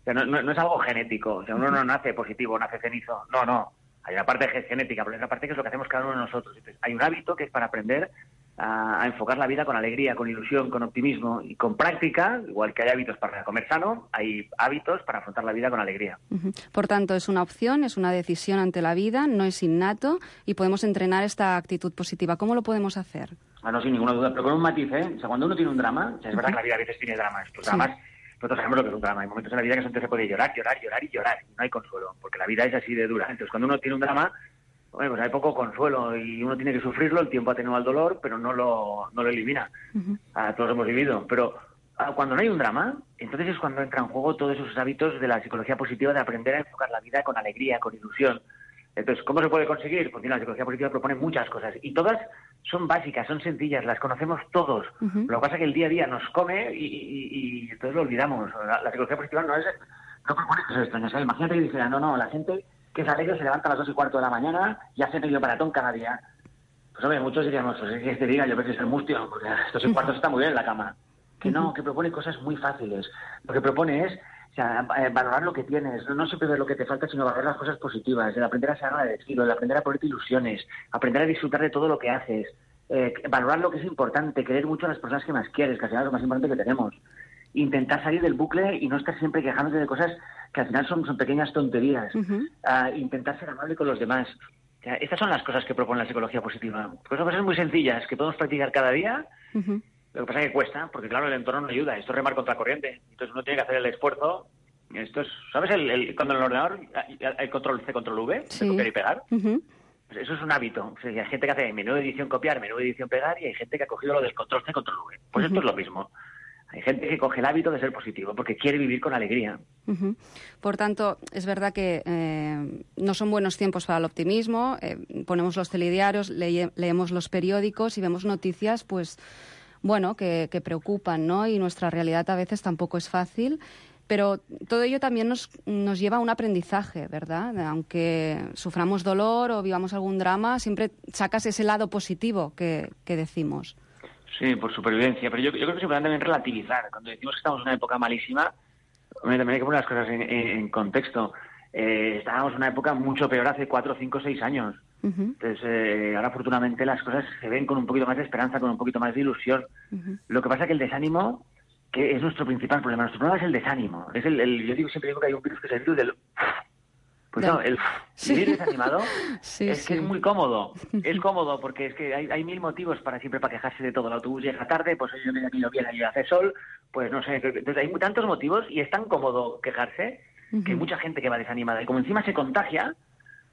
no es algo genético. O sea, uno no nace positivo, nace cenizo. No. Hay una parte que es genética, pero hay una parte que es lo que hacemos cada uno de nosotros. Entonces, hay un hábito que es para aprender a enfocar la vida con alegría, con ilusión, con optimismo y con práctica. Igual que hay hábitos para comer sano, hay hábitos para afrontar la vida con alegría. Por tanto, es una opción, es una decisión ante la vida, no es innato y podemos entrenar esta actitud positiva. ¿Cómo lo podemos hacer? No, sin ninguna duda, pero con un matiz, ¿eh? O sea, cuando uno tiene un drama, o sea, es verdad que la vida a veces tiene dramas. Los dramas, nosotros sabemos lo que es un drama. Hay momentos en la vida que se puede llorar. Y no hay consuelo, porque la vida es así de dura. Entonces, cuando uno tiene un drama, bueno, pues hay poco consuelo y uno tiene que sufrirlo, el tiempo atenúa el dolor, pero no lo elimina. Todos lo hemos vivido. Pero cuando no hay un drama, entonces es cuando entra en juego todos esos hábitos de la psicología positiva de aprender a enfocar la vida con alegría, con ilusión. Entonces, ¿cómo se puede conseguir? Pues mira, la psicología positiva propone muchas cosas y todas son básicas, son sencillas, las conocemos todos. Lo que pasa es que el día a día nos come y entonces lo olvidamos. La psicología positiva no propone cosas extrañas. Imagínate que dijera, no, la gente que es alegre se levanta a las 2:15 de la mañana y hace medio maratón cada día. Pues hombre, muchos diríamos, pues es que te diga, yo creo que es el mustio, porque estos cuartos está muy bien en la cama. Que no, que propone cosas muy fáciles. Lo que propone es valorar lo que tienes, no siempre ver lo que te falta, sino valorar las cosas positivas, el aprender a ser agradecido, el aprender a ponerte ilusiones, aprender a disfrutar de todo lo que haces, valorar lo que es importante, querer mucho a las personas que más quieres, que al final es lo más importante que tenemos. Intentar salir del bucle y no estar siempre quejándote de cosas que al final son pequeñas tonterías. Intentar ser amable con los demás. O sea, estas son las cosas que propone la psicología positiva. Pues son cosas muy sencillas que podemos practicar cada día. Lo que pasa es que cuesta, porque claro, el entorno no ayuda. Esto es remar contra corriente. Entonces uno tiene que hacer el esfuerzo. Esto es, ¿sabes? Cuando en el ordenador hay control C, control V, de copiar y pegar. Pues eso es un hábito. O sea, hay gente que hace menú edición copiar, menú edición pegar, y hay gente que ha cogido lo del control C, control V. Pues esto es lo mismo. Hay gente que coge el hábito de ser positivo porque quiere vivir con alegría. Por tanto, es verdad que no son buenos tiempos para el optimismo. Ponemos los telediarios, leemos los periódicos y vemos noticias, pues, bueno, que preocupan, ¿no? Y nuestra realidad a veces tampoco es fácil. Pero todo ello también nos lleva a un aprendizaje, ¿verdad? Aunque suframos dolor o vivamos algún drama, siempre sacas ese lado positivo que decimos. Sí, por supervivencia, pero yo creo que es importante también relativizar. Cuando decimos que estamos en una época malísima, también hay que poner las cosas en contexto. Estábamos en una época mucho peor hace 4, 5, 6 años. Entonces, ahora afortunadamente las cosas se ven con un poquito más de esperanza, con un poquito más de ilusión. Lo que pasa es que el desánimo, que es nuestro principal problema, nuestro problema es el desánimo. Es yo siempre digo que hay un virus que es el virus del... Pues no, el vivir desanimado que es muy cómodo. Es cómodo porque es que hay mil motivos para quejarse de todo. El autobús llega tarde, pues yo me camino bien, allí hace sol, pues no sé. Entonces hay tantos motivos y es tan cómodo quejarse que hay mucha gente que va desanimada. Y como encima se contagia,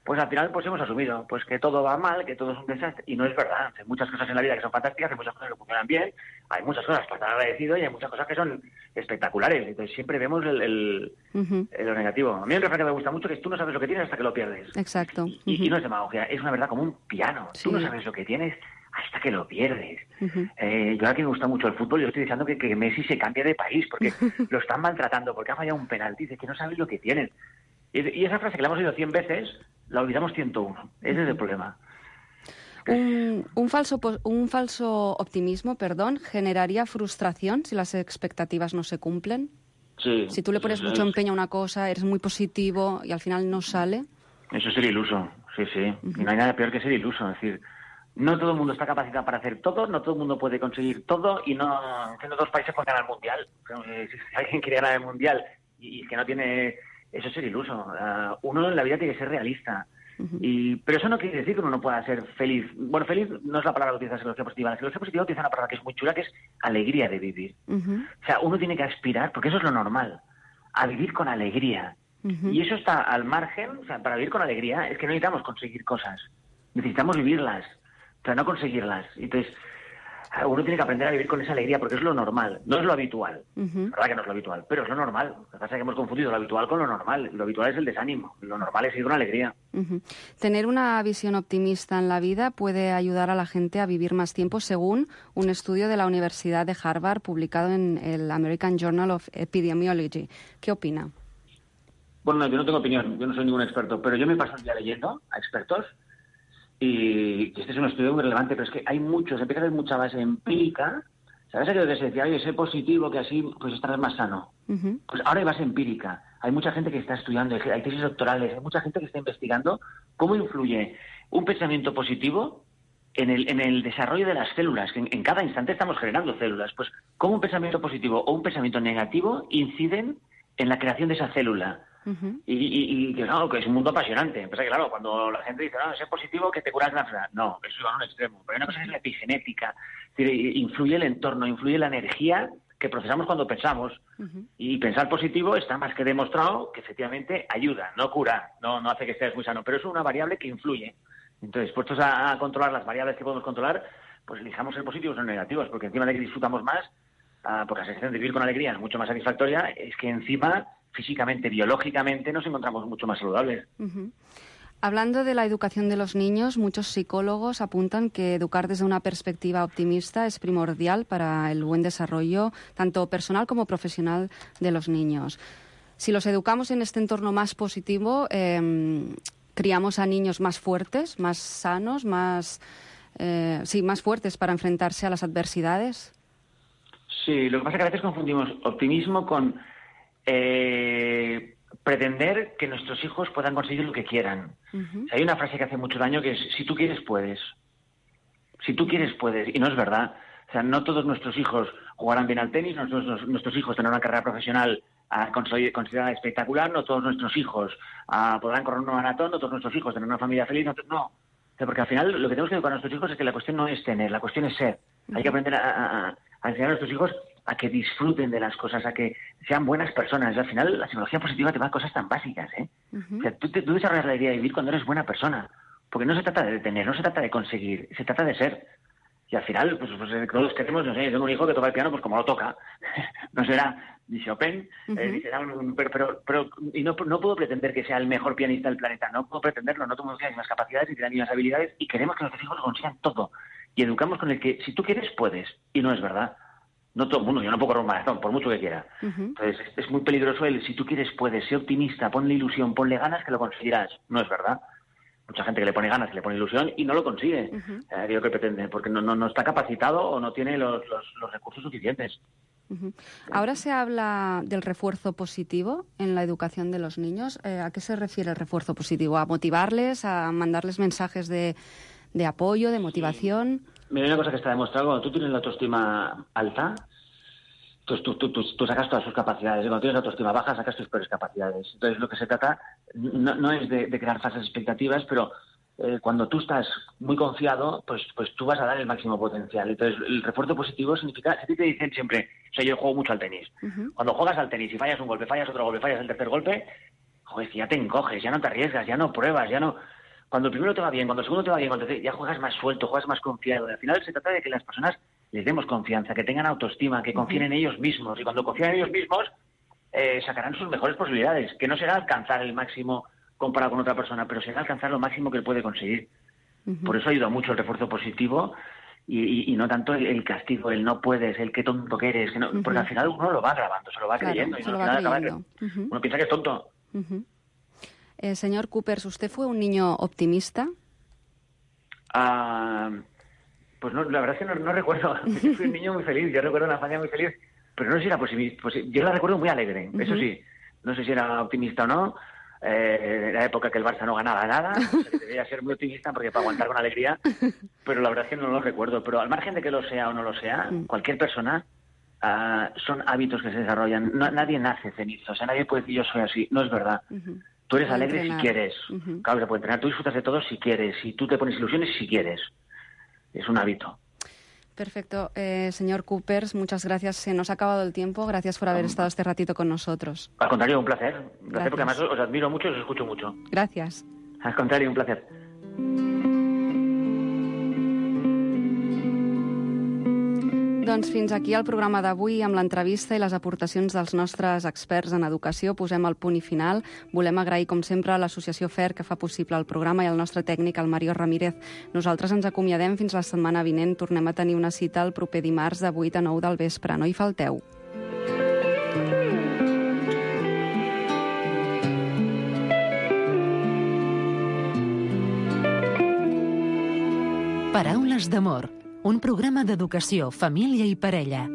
pues al final pues hemos asumido pues que todo va mal, que todo es un desastre. Y no es verdad. Hay muchas cosas en la vida que son fantásticas, hay muchas cosas que funcionan bien, hay muchas cosas para estar agradecido y hay muchas cosas que son espectaculares. Entonces siempre vemos lo negativo. A mí el refrán que me gusta mucho es: tú no sabes lo que tienes hasta que lo pierdes. Exacto. Y no es demagogia, es una verdad como un piano. Tú no sabes lo que tienes hasta que lo pierdes. Yo ahora que me gusta mucho el fútbol, yo estoy diciendo que Messi se cambie de país porque lo están maltratando, porque ha fallado un penalti. Dice que no sabes lo que tienes. Y esa frase que la hemos oído 100 veces, la olvidamos 101. Ese es el problema. Un falso optimismo, generaría frustración si las expectativas no se cumplen. Sí. Si tú le pones mucho empeño a una cosa, eres muy positivo y al final no sale. Eso es ser iluso, sí. Y no hay nada peor que ser iluso. Es decir, no todo el mundo está capacitado para hacer todo, no todo el mundo puede conseguir todo y no siendo 2 países pueden ganar el mundial. Si alguien quiere ganar el mundial y que no tiene... Eso es ser iluso. Uno en la vida tiene que ser realista. Pero eso no quiere decir que uno no pueda ser feliz. Bueno, feliz no es la palabra que utiliza la psicología positiva. La psicología positiva utiliza una palabra que es muy chula, que es alegría de vivir. O sea, uno tiene que aspirar, porque eso es lo normal, a vivir con alegría. Y eso está al margen. O sea, para vivir con alegría es que no necesitamos conseguir cosas. Necesitamos vivirlas, pero no conseguirlas. Entonces, uno tiene que aprender a vivir con esa alegría porque es lo normal, no es lo habitual. La verdad que no es lo habitual, pero es lo normal. Lo que pasa es que hemos confundido lo habitual con lo normal. Lo habitual es el desánimo, lo normal es ir con alegría. Tener una visión optimista en la vida puede ayudar a la gente a vivir más tiempo, según un estudio de la Universidad de Harvard publicado en el American Journal of Epidemiology. ¿Qué opina? Bueno, yo no tengo opinión, yo no soy ningún experto, pero yo me paso el día leyendo a expertos. Y este es un estudio muy relevante, pero es que hay muchos, empieza a haber mucha base empírica. ¿Sabes aquello que se decía, oye, sé positivo, que así pues estarás más sano? Pues ahora hay base empírica. Hay mucha gente que está estudiando, hay tesis doctorales, hay mucha gente que está investigando cómo influye un pensamiento positivo en el desarrollo de las células, que en cada instante estamos generando células. Pues cómo un pensamiento positivo o un pensamiento negativo inciden en la creación de esa célula. Y claro, que es un mundo apasionante. Pasa que, claro, cuando la gente dice, no, es positivo que te curas la enfermedad. No, eso va a un extremo. Pero hay una cosa que es la epigenética. Es decir, influye el entorno, influye la energía que procesamos cuando pensamos. Y pensar positivo está más que demostrado que efectivamente ayuda, no cura, no hace que estés muy sano. Pero es una variable que influye. Entonces, puestos a controlar las variables que podemos controlar, pues elijamos ser positivos o negativos, porque encima de que disfrutamos más, porque la sensación de vivir con alegría es mucho más satisfactoria, es que encima, físicamente, biológicamente, nos encontramos mucho más saludables. Hablando de la educación de los niños, muchos psicólogos apuntan que educar desde una perspectiva optimista es primordial para el buen desarrollo, tanto personal como profesional, de los niños. Si los educamos en este entorno más positivo, criamos a niños más fuertes, más sanos, más más fuertes para enfrentarse a las adversidades? Sí, lo que pasa es que a veces confundimos optimismo con pretender que nuestros hijos puedan conseguir lo que quieran. O sea, hay una frase que hace mucho daño que es, si tú quieres, puedes. Si tú quieres, puedes. Y no es verdad. O sea, no todos nuestros hijos jugarán bien al tenis, nuestros hijos tendrán una carrera profesional considerada espectacular, no todos nuestros hijos podrán correr un maratón, no todos nuestros hijos tendrán una familia feliz, no. O sea, porque al final lo que tenemos que educar a nuestros hijos es que la cuestión no es tener, la cuestión es ser. Hay que aprender a enseñar a nuestros hijos a que disfruten de las cosas, a que sean buenas personas. Y al final la psicología positiva te va a cosas tan básicas, ¿eh? O sea, tú desarrollas la idea de vivir cuando eres buena persona. Porque no se trata de tener, no se trata de conseguir, se trata de ser. Y al final, pues todos queremos, no sé, yo tengo un hijo que toca el piano pues como lo toca. No será ni Chopin, ni será pero no puedo pretender que sea el mejor pianista del planeta, no puedo pretenderlo, no tengo las mismas capacidades ni las mismas habilidades y queremos que nuestros hijos lo consigan todo. Y educamos con el que si tú quieres, puedes. Y no es verdad. No todo el mundo, yo no puedo correr un maratón, por mucho que quiera. Entonces, es muy peligroso el si tú quieres, puedes, sé optimista, ponle ilusión, ponle ganas que lo conseguirás. No es verdad. Mucha gente que le pone ganas, que le pone ilusión y no lo consigue. Creo que pretende, porque no está capacitado o no tiene los recursos suficientes. Ahora se habla del refuerzo positivo en la educación de los niños. ¿A qué se refiere el refuerzo positivo? ¿A motivarles, a mandarles mensajes de apoyo, de motivación? Sí. Mira, una cosa que está demostrado, cuando tú tienes la autoestima alta, tú sacas todas sus capacidades. Y cuando tienes la autoestima baja, sacas tus peores capacidades. Entonces, lo que se trata no es de crear falsas expectativas, pero cuando tú estás muy confiado, pues tú vas a dar el máximo potencial. Entonces, el refuerzo positivo significa, si a ti te dicen siempre, o sea, yo juego mucho al tenis. Cuando juegas al tenis y fallas un golpe, fallas otro golpe, fallas el tercer golpe, joder, ya te encoges, ya no te arriesgas, ya no pruebas, ya no... Cuando el primero te va bien, cuando el segundo te va bien, cuando ya juegas más suelto, juegas más confiado. Al final se trata de que las personas les demos confianza, que tengan autoestima, que confíen en ellos mismos. Y cuando confían en ellos mismos, sacarán sus mejores posibilidades, que no será alcanzar el máximo comparado con otra persona, pero será alcanzar lo máximo que él puede conseguir. Por eso ayuda mucho el refuerzo positivo y no tanto el castigo, el no puedes, el qué tonto que eres. Que no, porque al final uno lo va grabando, se lo va creyendo. Y al final acaba uno piensa que es tonto. Señor Coopers, ¿usted fue un niño optimista? Pues no, la verdad es que no recuerdo. Yo fui un niño muy feliz, yo recuerdo una infancia muy feliz, pero no sé si era posibilista. Yo la recuerdo muy alegre, eso sí. No sé si era optimista o no. Era época que el Barça no ganaba nada, o sea, que debía ser muy optimista porque para aguantar con alegría, pero la verdad es que no lo recuerdo. Pero al margen de que lo sea o no lo sea, cualquier persona, son hábitos que se desarrollan. Nadie nace cenizo, o sea, nadie puede decir yo soy así, no es verdad. Tú eres alegre si quieres. Claro, se puede entrenar. Tú disfrutas de todo si quieres. Si tú te pones ilusiones si quieres. Es un hábito. Perfecto. Señor Coopers, muchas gracias. Se nos ha acabado el tiempo. Gracias por haber estado este ratito con nosotros. Al contrario, un placer. Un placer porque además os admiro mucho y os escucho mucho. Gracias. Al contrario, un placer. Doncs fins aquí el programa d'avui amb l'entrevista i les aportacions dels nostres experts en educació. Posem el punt i final. Volem agrair, com sempre, a l'Associació FER que fa possible el programa i al nostre tècnic, el Mario Ramírez. Nosaltres ens acomiadem fins la setmana vinent. Tornem a tenir una cita el proper dimarts de 8 a 9 del vespre. No hi falteu. Paraules d'amor, un programa d'educació, família i parella.